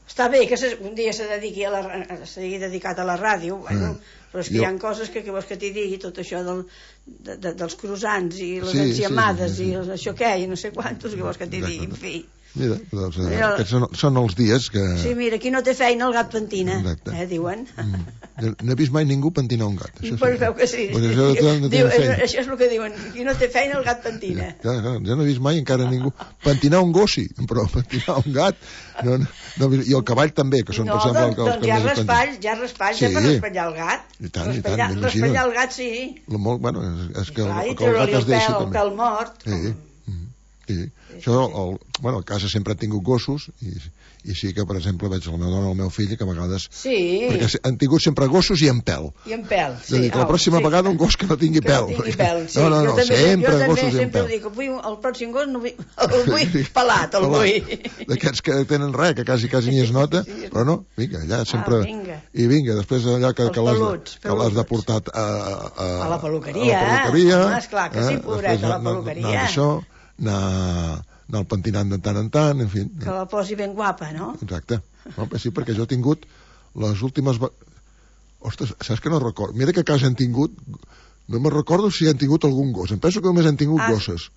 Està bé que un dia sigui dedicat a la ràdio, però és que hi ha coses que vols que t'hi digui, tot això dels croissants i les enciamades i això què, i no sé quantos, que vols que t'hi digui, en fi. Mira, doncs aquests són els dies que... Sí, mira, qui no té feina el gat pentina, diuen. No he vist mai ningú pentinar un gat. Pues veu que sí. Això és el que diuen, qui no té feina el gat pentina. Jo no he vist mai encara ningú pentinar un gos, sí, però pentinar un gat... I el cavall també, que són... Doncs hi ha raspalls ja per raspallar el gat. Raspallar el gat, sí. Bueno, és que el gat es deixa també. El pèl mort. Sí. Això, a casa sempre han tingut gossos i sí que, per exemple, veig la meva dona o el meu fill que a vegades... Sí. Perquè han tingut sempre gossos i en pèl. I en pèl, sí. És a dir, que la pròxima vegada un gos que no tingui pèl. Que no tingui pèl, sí. No, sempre gossos i en pèl. Jo també sempre dic, el pròxim gos el vull pelat, el vull. D'aquests que tenen res, que quasi ni es nota, però no, vinga, allà sempre... I vinga, després allà que l'has de portar a la peluqueria. Esclar que sí, pobret, a la peluqueria. anar al pentinant de tant en tant, en fi. Que la posi ben guapa, no? Exacte. Sí, perquè jo he tingut les últimes... Ostres, saps que no recordo? Mira que a casa han tingut... No me'n recordo si han tingut algun gos. Em penso que només han tingut gosses.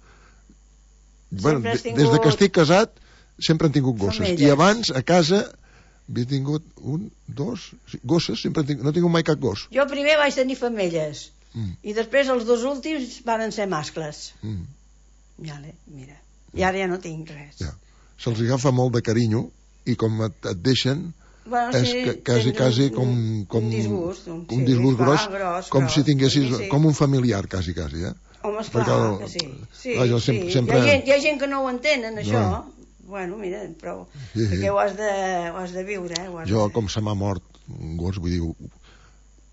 Bueno, des de que estic casat sempre han tingut gosses. Femelles. I abans, a casa, havia tingut gosses, sempre no he tingut mai cap gos. Jo primer vaig tenir femelles. I després els dos últims van ser mascles. Mira. I ara ja no tinc res. Se'ls agafa molt de carinyo i com et deixen... Bueno, és quasi com un disgust gros, com si tinguessis com un familiar, quasi, eh? Home, esclar, que sí. Hi ha gent que no ho entenen, això. Bueno, mira, però perquè ho has de viure, Jo, com se m'ha mort un gos, vull dir,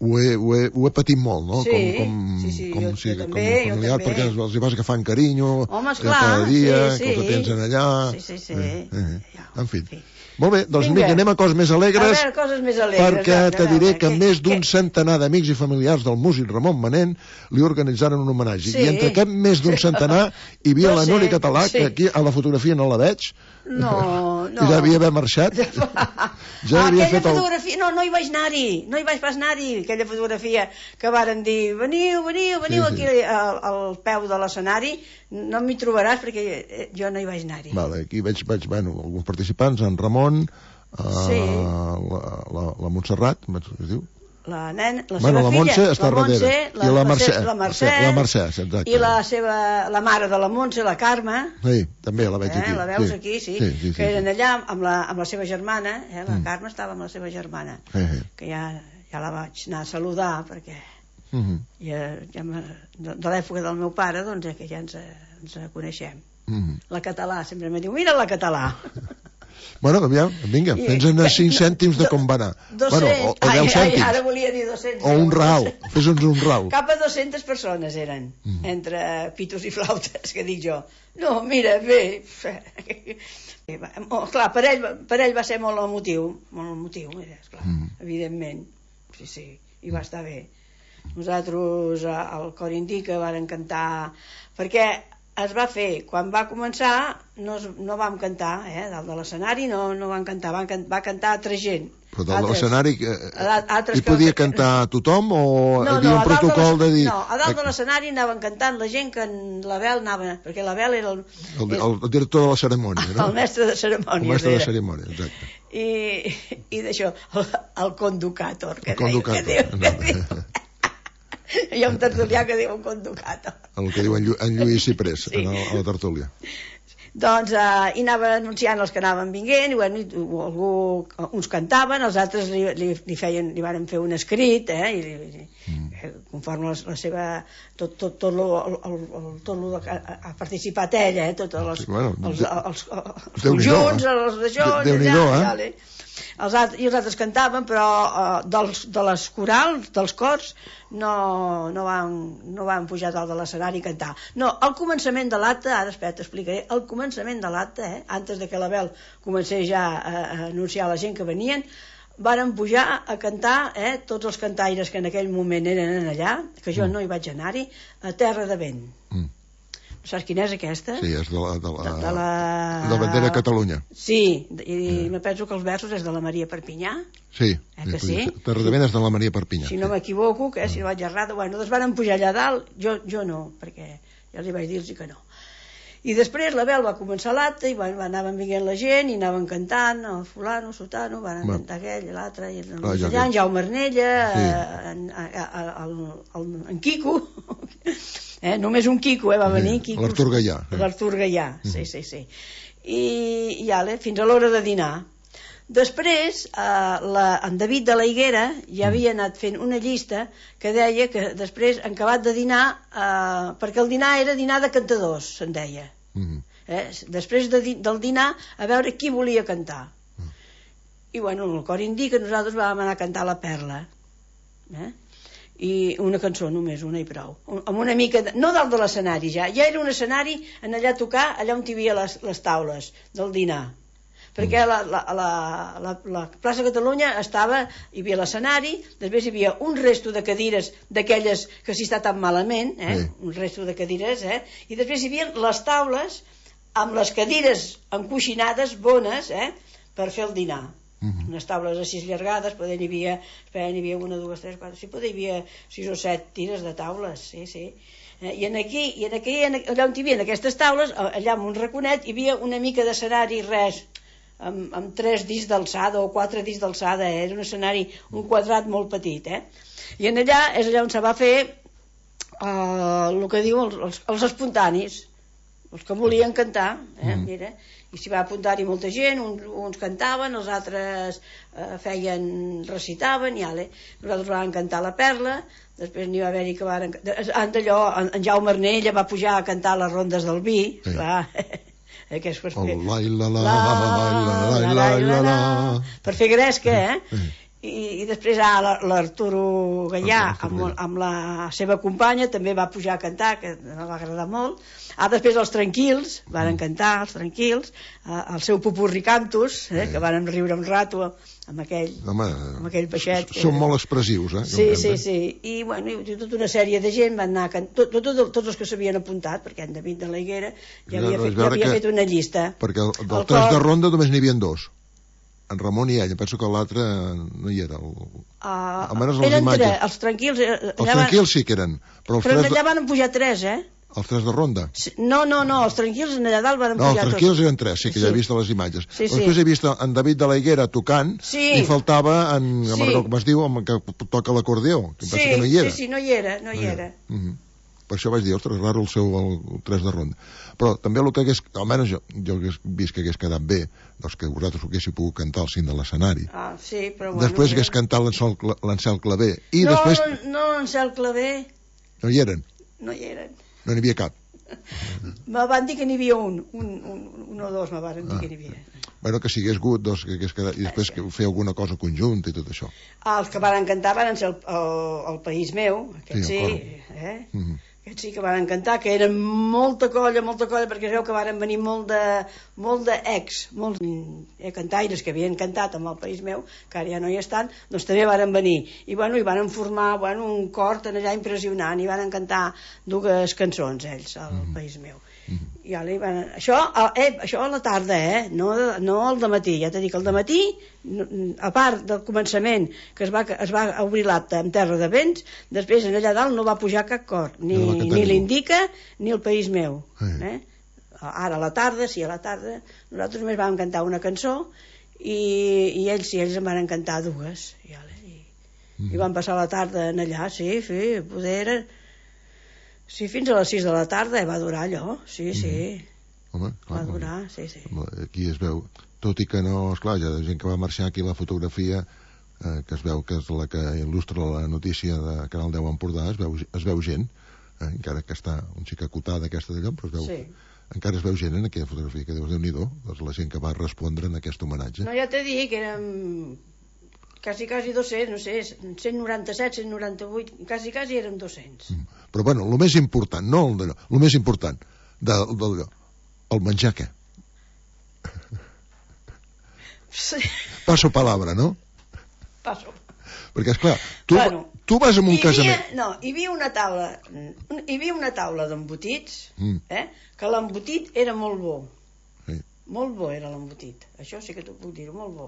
ho he patit molt, no? Com un familiar, perquè els hi vas agafant carinyo cada dia, que els tens allà... En fi. Molt bé, doncs vinga, anem a coses més alegres, perquè te diré que més d'un centenar d'amics i familiars del músic Ramon Manent li organitzaren un homenatge. I entre aquest més d'un centenar hi havia la Núria Català, que aquí a la fotografia no la veig, que ja havia d'haver marxat. Aquella fotografia, no hi vaig anar-hi, no hi vaig pas anar-hi, aquella fotografia que varen dir, veniu aquí al peu de l'escenari, no m'hi trobaràs perquè jo no hi vaig anar-hi. Aquí veig alguns participants, en Ramon, la Montserrat, es diu? La nena, la seva la Montse filla, està darrere. I la Mercè, exacte. I la mare de la Montse, la Carme. Sí, també la veig aquí. La veus aquí, sí. Que eren allà amb la seva germana, la Carme estava amb la seva germana, que ja la vaig anar a saludar, perquè de l'època del meu pare, doncs que ja ens coneixem. La Català, sempre me diu, mira la Català. Bueno, aviam, vinga, fes-nos 5 cèntims de com va anar. O 10 cèntims. Ara volia dir 200. O un ral, fes-nos un ral. Cap a 200 persones eren, entre pitos i flautes, que dic jo. No, mira, bé. Clar, per ell va ser molt emotiu, esclar, evidentment. Sí, i va estar bé. Nosaltres al Cor Indica vàrem cantar, perquè es va fer, quan va començar no vam cantar, dalt de l'escenari no vam cantar, va cantar altra gent. Però dalt de l'escenari hi podia cantar tothom o hi havia un protocol de dir... No, a dalt de l'escenari anaven cantant la gent que l'Abel anava, perquè l'Abel era el director de la cerimònia, no? El mestre de cerimònia. El mestre de cerimònia, exacte. I d'això, el conducator, que diu... Hi ha un tertulià que diu un conducator. El que diu en Lluís Ciprés, a la tertúlia. Doncs hi anaven anunciant els que anaven vinguent, i uns cantaven, els altres li varen fer un escrit, conforme la seva... tot el que ha participat ella, tots els conjunts, els d'això, i els altres cantaven, però de les corals, dels cors, no van pujar dalt de l'escenari a cantar. No, al començament de l'acte, ara espera, t'explicaré, al començament de l'acte, antes de que l'Abel comencés ja a anunciar la gent que venien, varen pujar a cantar tots els cantaires que en aquell moment eren allà, que jo no hi vaig anar-hi, a Terra de Vent. Saps quina és aquesta? Sí, és de la bandera de Catalunya. Sí, i me penso que els versos és de la Maria Perpinyà. Sí, que sí? Terra de Vent és de la Maria Perpinyà. Si no m'equivoco, si no vaig errada, doncs van pujar allà dalt, jo no, perquè ja els vaig dir-los que no. I després l'Abel va començar l'acte i anaven vinguent la gent i anaven cantant, el fulano, sotano, van cantar aquell, l'altre, i en Jaume Arnella, en Quico, només un Quico, va venir Quico. L'Artur Gaià. Sí. I fins a l'hora de dinar. Després, en David de la Higuera ja havia anat fent una llista que deia que després, en acabat de dinar, perquè el dinar era dinar de cantadors, se'n deia. Després del dinar, a veure qui volia cantar. I bueno, el Cor Indica nosaltres vam anar a cantar La Perla. I una cançó només, una i prou. Amb una mica, no dalt de l'escenari ja era un escenari en allà a tocar, allà on hi havia les taules del dinar. perquè la plaça Catalunya estava, hi havia l'escenari, després hi havia un resto de cadires d'aquelles que s'hi està tan malament, un resto de cadires, i després hi havia les taules amb les cadires encoixinades bones, per fer el dinar. Unes taules així llargades, poder hi havia 1, 2, 3, 4, sí, poder hi havia 6 o 7 tires de taules, sí. I allà on hi havia aquestes taules, allà en un raconet, hi havia una mica d'escenari, res, amb 3 dits d'alçada o 4 dits d'alçada, era un escenari, un quadrat molt petit, i en allà és allà on se va fer el que diu els espontanis, els que volien cantar, mira, i s'hi va apuntar-hi molta gent, uns cantaven, els altres recitaven, i nosaltres vam cantar la Perla, després n'hi va haver-hi que van... En Jaume Arnella va pujar a cantar les rondes del vi, clar, per fer gresca, i després l'Arturo Gallà amb la seva companya també va pujar a cantar, que no va agradar molt. Després els Tranquils van cantar, el seu Popurri Cantus, que van riure un rato amb aquell peixet. Són molt expressius, Sí, i tota una sèrie de gent van anar tots els que s'havien apuntat, perquè en David de la Higuera ja havia fet una llista, perquè del 3 de ronda només n'hi havia 2, en Ramon i ella, penso que l'altre no hi era. Eren 3, els Tranquils... Els Tranquils sí que eren, però allà van pujar 3, Els 3 de ronda? No, els Tranquils allà dalt van pujar tots. Els Tranquils eren 3, sí que ja he vist les imatges. Després he vist en David de la Higuera tocant, i faltava com es diu, que toca l'acordeó, que penso que no hi era. Sí, no hi era. Per això vaig dir, ostres, raro el seu 3 de ronda. Però també el que hagués, almenys jo hagués vist que hagués quedat bé, doncs que vosaltres haguéssiu pogut cantar al cim de l'escenari. Sí, però bueno... Després hagués cantat l'Ancel Clavé. No, Ancel Clavé... No hi eren? No hi eren. No n'hi havia cap? Me van dir que n'hi havia un o dos me van dir que n'hi havia. Bueno, que si hagués hagut, doncs, que hagués quedat, i després que fer alguna cosa conjunta i tot això. Els que van cantar van ser el País Meu, aquest sí, aquests sí que van cantar, que eren molta colla, perquè es veu que van venir molt d'ex, molts cantaires que havien cantat amb el País Meu, que ara ja no hi estan, doncs també van venir. I hi van formar un cor tan allà impressionant, i van cantar 2 cançons, ells, al País Meu. I això a la tarda, no al dematí. Ja t'he dit que al dematí, a part del començament, que es va obrir l'acte en Terra de Vents, després allà dalt no va pujar cap cor, ni l'Indica ni el País Meu. Ara a la tarda, nosaltres només vam cantar una cançó, i ells en van cantar 2, i van passar la tarda allà, poder era... Sí, fins a les 6 de la tarda va durar allò, sí. Home, clar, va durar, sí. Aquí es veu, tot i que no, esclar, hi ha gent que va marxar aquí la fotografia, que es veu que és la que il·lustra la notícia de Canal 10 Empordà, es veu gent, encara que està un xic acotada aquesta d'allò, però encara es veu gent en aquella fotografia, que Déu-n'hi-do, doncs la gent que va respondre en aquest homenatge. No, ja t'he dit que érem... quasi 200, no sé, 197, 198, quasi érem 200. Però bueno, el més important, el més important d'allò, el menjar què? Sí. Passo palabra, no? Passo. Perquè, esclar, tu vas a un casament... No, hi havia una taula d'embotits, que l'embotit era molt bo. Molt bo era l'embotit. Això sí que t'ho puc dir, molt bo.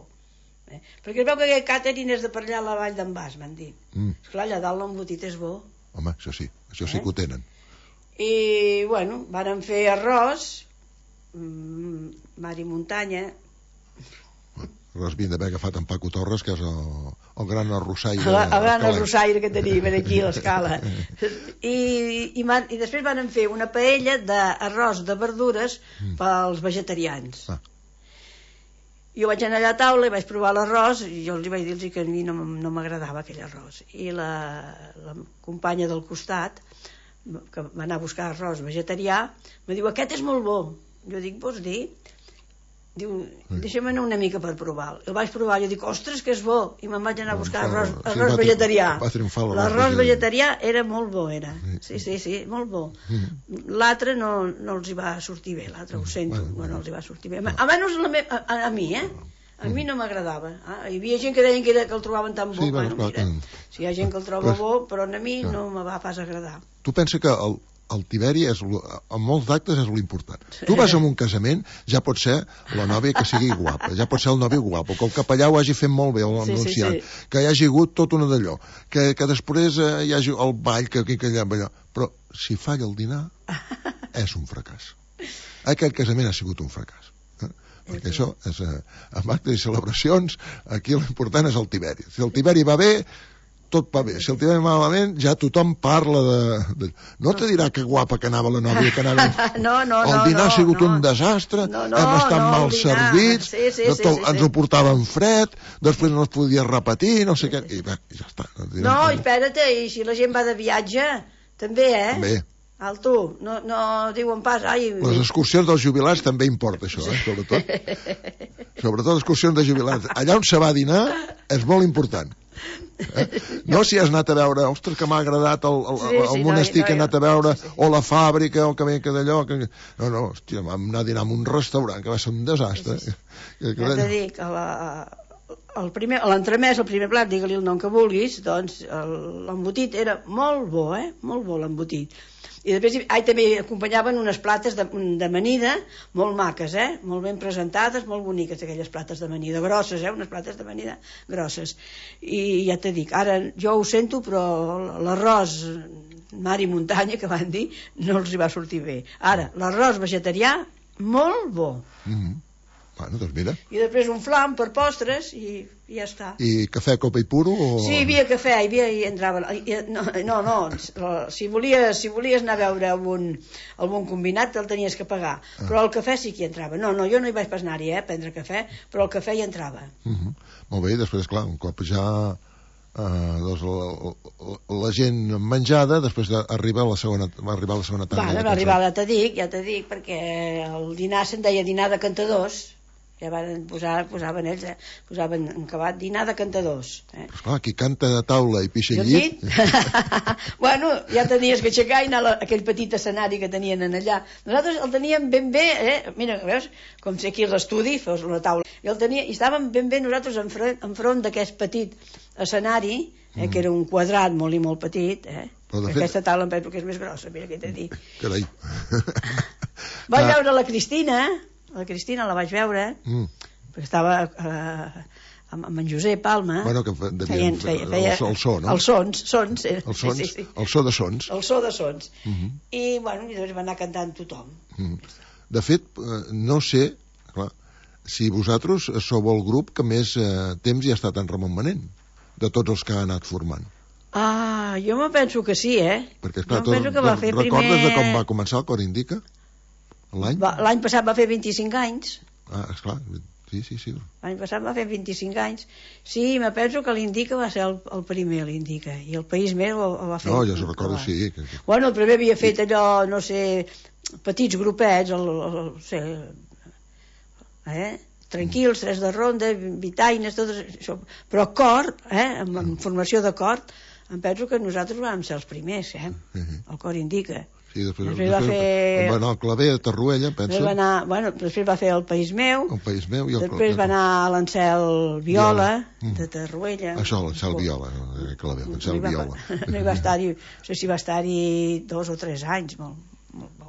Perquè es veu que aquest càtering és de per allà a la vall d'en Bas, m'han dit. Esclar, allà dalt l'embotit és bo. Home, això sí que ho tenen. I, bueno, varen fer arròs, mar i muntanya. Arròs havien d'haver agafat en Paco Torres, que és el gran arrossaire. El gran arrossaire que tenim aquí a l'escala. I després varen fer una paella d'arròs de verdures pels vegetarians. Jo vaig anar allà a taula i vaig provar l'arròs, i jo els vaig dir que a mi no m'agradava aquell arròs. I la companya del costat, que va anar a buscar arròs vegetarià, me diu, aquest és molt bo. Jo dic, vols dir? diu, deixa'm anar una mica per provar. El vaig provar, jo dic, ostres, que és bo, i me'n vaig anar a buscar arròs vegetarià. L'arròs vegetarià era molt bo, era. Sí, molt bo. L'altre no els hi va sortir bé, l'altre ho sento, no els hi va sortir bé. Almenys a mi, a mi no m'agradava. Hi havia gent que deien que el trobaven tan bo. Si hi ha gent que el troba bo, però a mi no me va pas agradar. Tu pensa que el Tiberi en molts d'actes és l'important. Tu vas a un casament, ja pot ser la nòvia que sigui guapa, ja pot ser el nòvio guapo, que el capellà ho hagi fet molt bé, l'anunciant, que hi hagi hagut tot una d'allò, que després hi hagi el ball, que allà, però si falla el dinar és un fracàs. Aquell casament ha sigut un fracàs. Perquè això és, en actes i celebracions, aquí l'important és el Tiberi. Si el Tiberi va bé, tot va bé. Si el Tiberi va malament, ja tothom parla de... No te dirà que guapa que anava la nòvia, que anava... El dinar ha sigut un desastre, hem estat mal servits, ens ho portaven fred, després no es podia repetir, no sé què... I bé, ja està. No, espera't, i si la gent va de viatge, també, També. Alto, no diuen pas... Les excursions dels jubilats també importa això, sobretot. Sobretot excursions de jubilats. Allà on se va a dinar és molt important. No si has anat a veure, ostres, que m'ha agradat el monestir que he anat a veure, o la fàbrica, o que ve que d'allò... No, hòstia, vam anar a dinar en un restaurant que va ser un desastre. Ja t'he dit, a l'entremès, el primer plat, digue-li el nom que vulguis, doncs l'embotit era molt bo, molt bo l'embotit. I després també acompanyaven unes plates d'amanida molt maques, molt ben presentades, molt boniques aquelles plates d'amanida, grosses, unes plates d'amanida grosses. I ja t'he dit, ara jo ho sento, però l'arròs mar i muntanya, que van dir, no els hi va sortir bé. Ara, l'arròs vegetarià, molt bo. Bueno, doncs mira. I després un flam per postres i ja està. I cafè, copa i puro? Sí, hi havia cafè, hi entrava... No, si volies anar a veure algun combinat el tenies que pagar, però el cafè sí que hi entrava. No, jo no hi vaig pas anar-hi a prendre cafè, però el cafè hi entrava. Molt bé, després, clar, un cop ja la gent menjada, després arriba la segona tanda. Va arribar, ja t'he dit, perquè el dinar se'n deia dinar de cantadors. Ja van posaven ells, posaven en acabat dinar de cantadors. Però esclar, qui canta de taula i pixa al llit... Bueno, ja tenies que aixecar i anar a aquell petit escenari que tenien allà. Nosaltres el teníem ben bé, mira, veus, com si aquí a l'estudi fos una taula. I estàvem ben bé nosaltres enfront d'aquest petit escenari, que era un quadrat molt i molt petit, aquesta taula em penso que és més grossa, mira què t'he dit. Carai. Vaig veure la Cristina la vaig veure, perquè estava amb en Josep Palma. Bueno, que feien el so, no? Els sons. El so de sons. El so de sons. I, bueno, doncs va anar cantant tothom. De fet, no sé, clar, si vosaltres sou el grup que més temps hi ha estat en Ramon Manent, de tots els que ha anat formant. Jo me penso que sí, Perquè, esclar, recordes de com va començar el Cor Indica? L'any passat va fer 25 anys. Esclar, sí. L'any passat va fer 25 anys. Sí, me penso que l'Indica va ser el primer, l'Indica, i el País Més ho va fer. No, ja s'ho recordo, sí. Bueno, el primer havia fet allò, no sé, petits grupets, tranquils, tres de ronda, vitaines, tot això. Però cor, amb formació de cor, em penso que nosaltres vam ser els primers, el Cor Indica. Sí, després va anar al Claver a Tarruella, penso. Després va fer el País Meu. Després va anar a l'Ancel Viola, de Tarruella. Això, l'Ancel Viola, Claver, l'Ancel Viola. No hi va estar-hi, no sé si va estar-hi 2 o 3 anys, molt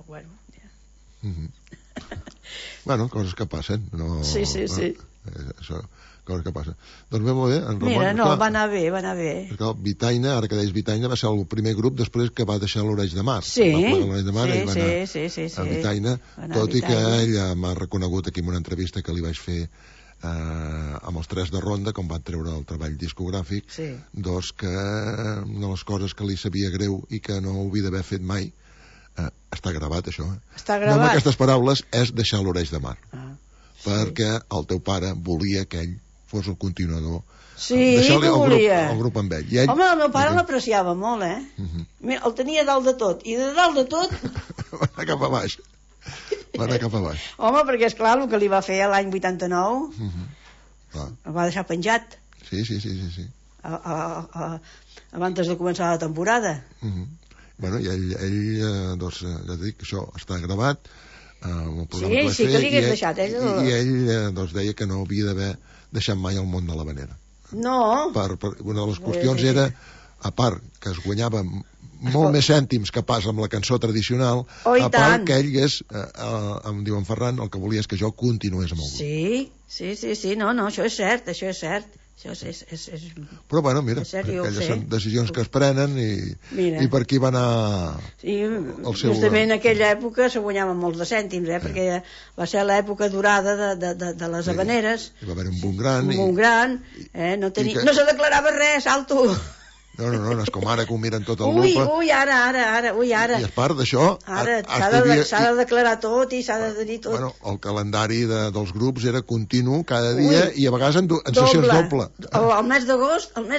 bueno. Bueno, coses que passen. Sí. Això... coses que passen. Doncs bé, molt bé, en Ramon... Mira, no, va anar bé. Vitaina, ara que deies Vitaina, va ser el primer grup després que va deixar l'Oreig de Mar. Sí. A Vitaina, tot i que ella m'ha reconegut aquí en una entrevista que li vaig fer amb els Tres de Ronda, com van treure el treball discogràfic, doncs que una de les coses que li sabia greu i que no ho havia d'haver fet mai, està gravat això, Està gravat. No amb aquestes paraules, és deixar l'Oreig de Mar. Perquè el teu pare volia que ell fos el continuador. Sí, que volia. El grup amb ell. Home, el meu pare l'apreciava molt, Mira, el tenia dalt de tot. I de dalt de tot... Va anar cap a baix. Va anar cap avall. Home, perquè esclar, el que li va fer l'any 89 el va deixar penjat. Sí. Abans de començar la temporada. Bueno, i ell doncs, ja dic, això està gravat, sí, que li hagués deixat i ell doncs, deia que no havia d'haver deixat mai el món de l'havanera. No. Una de les qüestions era, a part que es guanyava molt més cèntims que pas amb la cançó tradicional, a part que ell és, em diu en Ferran, el que volia és que jo continués amb el grup. Sí, no, això és cert. Però bueno, mira, aquelles són decisions que es prenen i per aquí va anar el seu... Justament en aquella època se guanyaven molts de cèntims, perquè va ser l'època dorada de les havaneres. Hi va haver un boom gran, no se declarava res, alto. No, és com ara que ho miren tot el lupa. Ara. I a part d'això... S'ha de declarar tot i s'ha de dir tot. Bueno, el calendari dels grups era continu cada dia i a vegades en sessions doble. El mes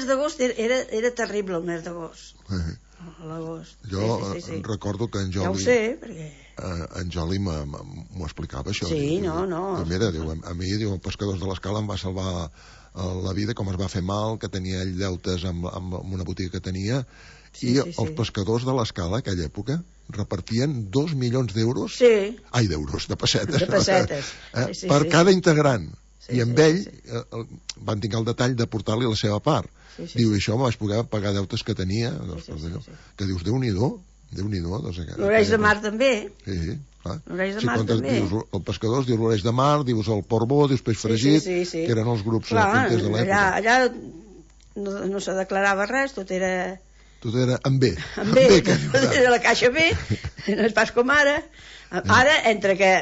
d'agost era terrible, el mes d'agost. L'agost. Jo recordo que en Joli... Ja ho sé, perquè... En Joli m'ho explicava, això. Sí, no. Mira, a mi, el Pescadors de l'Escala em va salvar la vida, com es va fer mal, que tenia ell deutes amb una botiga que tenia, i els Pescadors de l'Escala, aquella època, repartien 2 milions d'euros, de pessetes, per cada integrant, i amb ell van tenir el detall de portar-li la seva part. Diu, i això me vaig poder pagar deutes que tenia, que dius, Déu-n'hi-do. L'Oreix de Mar també. Sí, clar. L'Oreix de Mar també. Dius el Pescadors, dius l'Oreix de Mar, dius el Portbó, dius Peix Fregit, que eren els grups punters de l'època. Allà no se declarava res, tot era amb B. Amb B, era la caixa B, no és pas com ara. Ara, entre que,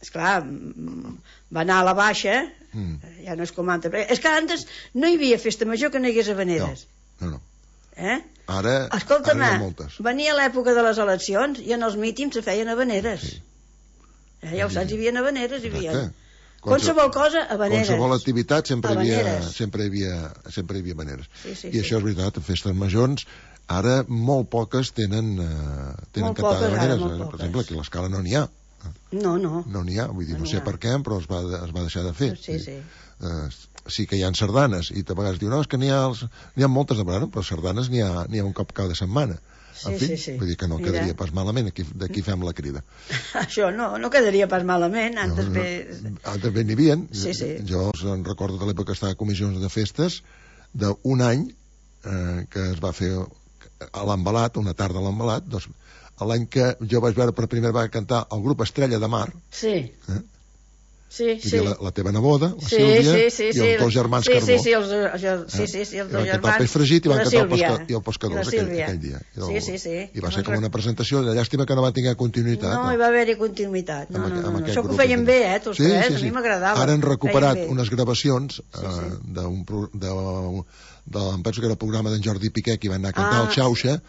esclar, va anar a la baixa, ja no és com antes. És que antes no hi havia festa major que no hi hagués havaneres. No. Ara venia l'època de les eleccions i en els mítings se feien havaneres. Ja ho saps, hi havia havaneres, hi havia qualsevol cosa, havaneres. Qualsevol activitat sempre hi havia havaneres. I això és veritat, festes majors ara molt poques tenen cantada d'havaneres. Per exemple, aquí a l'Escala no n'hi ha. No n'hi ha, vull dir, no sé per què, però es va deixar de fer. Sí que hi ha sardanes, i a vegades diu, no, és que n'hi ha moltes de vegades, però sardanes n'hi ha un cop cada setmana. En fi, vull dir que no quedaria pas malament, d'aquí fem la crida. Això no quedaria pas malament, antes bé n'hi havia. Jo em recordo de l'època que estava a comissions de festes d'un any que es va fer a l'Embalat, una tarda a l'Embalat, l'any que jo vaig veure per primera vegada cantar el grup Estrella de Mar. La teva neboda, la Sílvia, i els dos germans Carbó. Els dos germans. Peix Fregit i van cantar el Pescadors aquell dia. I va ser com una presentació, de llàstima que no va tenir continuïtat. No hi va haver-hi continuïtat. Això que ho feien bé, tots tres, a mi m'agradava. Ara han recuperat unes gravacions em penso que era el programa d'en Jordi Piqué, que van anar a cantar al Xauxa.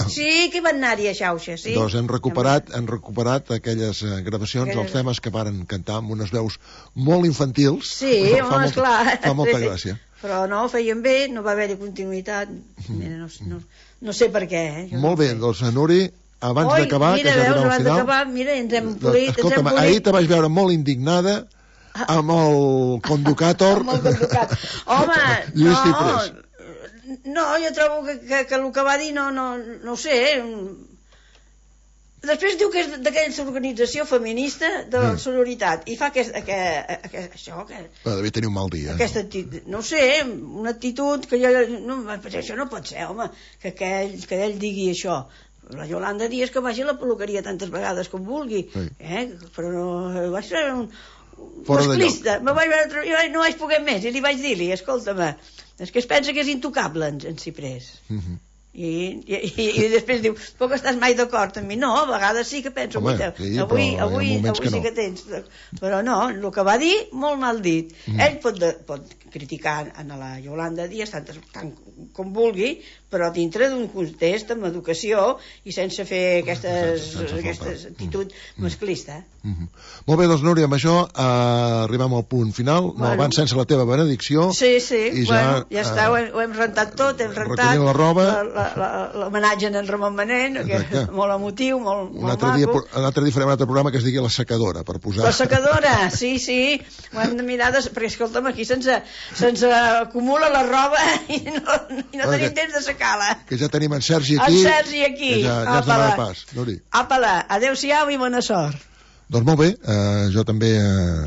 Sí que van anar-hi a Xauxa, sí. Doncs han recuperat aquelles gravacions, els temes que varen cantar amb unes veus molt infantils. Sí, home, esclar. Fa molta gràcia. Però no, feien bé, no va haver-hi continuïtat. No sé per què. Molt bé, doncs, Nuri, abans d'acabar, que ja arribem al final... Mira, ens hem polit. Escolta'm, ahir te vaig veure molt indignada amb el Conducàtor. Home, no, jo trobo que el que va dir no sé. Després diu que és d'aquella organització feminista de la sororitat i fa això que... Devia tenir un mal dia. No sé, una actitud que això no pot ser, home, que ell digui això. La Yolanda Díaz que vagi a la peluqueria tantes vegades com vulgui, però no vaig treure un masclista, no vaig poder més i li vaig dir-li, escolta'm, és que es pensa que és intocable en Ciprés. I després diu, poc estàs mai d'acord amb mi? No, a vegades sí que penso, avui sí que tens, però no, el que va dir molt mal dit. Ell pot criticar a la Yolanda Díaz tant com vulgui, però dintre d'un context amb educació i sense fer aquesta actitud masclista. Molt bé, doncs Núria, amb això arribem al punt final, no abans sense la teva benedicció. Sí, ja està, ho hem rentat tot, hem rentat la roba, l'homenatge a en Ramon Manent, que és molt emotiu, molt maco. Un altre dia farem un altre programa que es digui La Secadora, per posar... La secadora, sí, ho hem de mirar, perquè escolta'm, aquí se'ns acumula la roba i no tenim temps de secar-la. Que ja tenim en Sergi aquí. En Sergi aquí. Que ja ens donarà pas. Apa-la, adeu-siau i bona sort. Doncs molt bé, jo també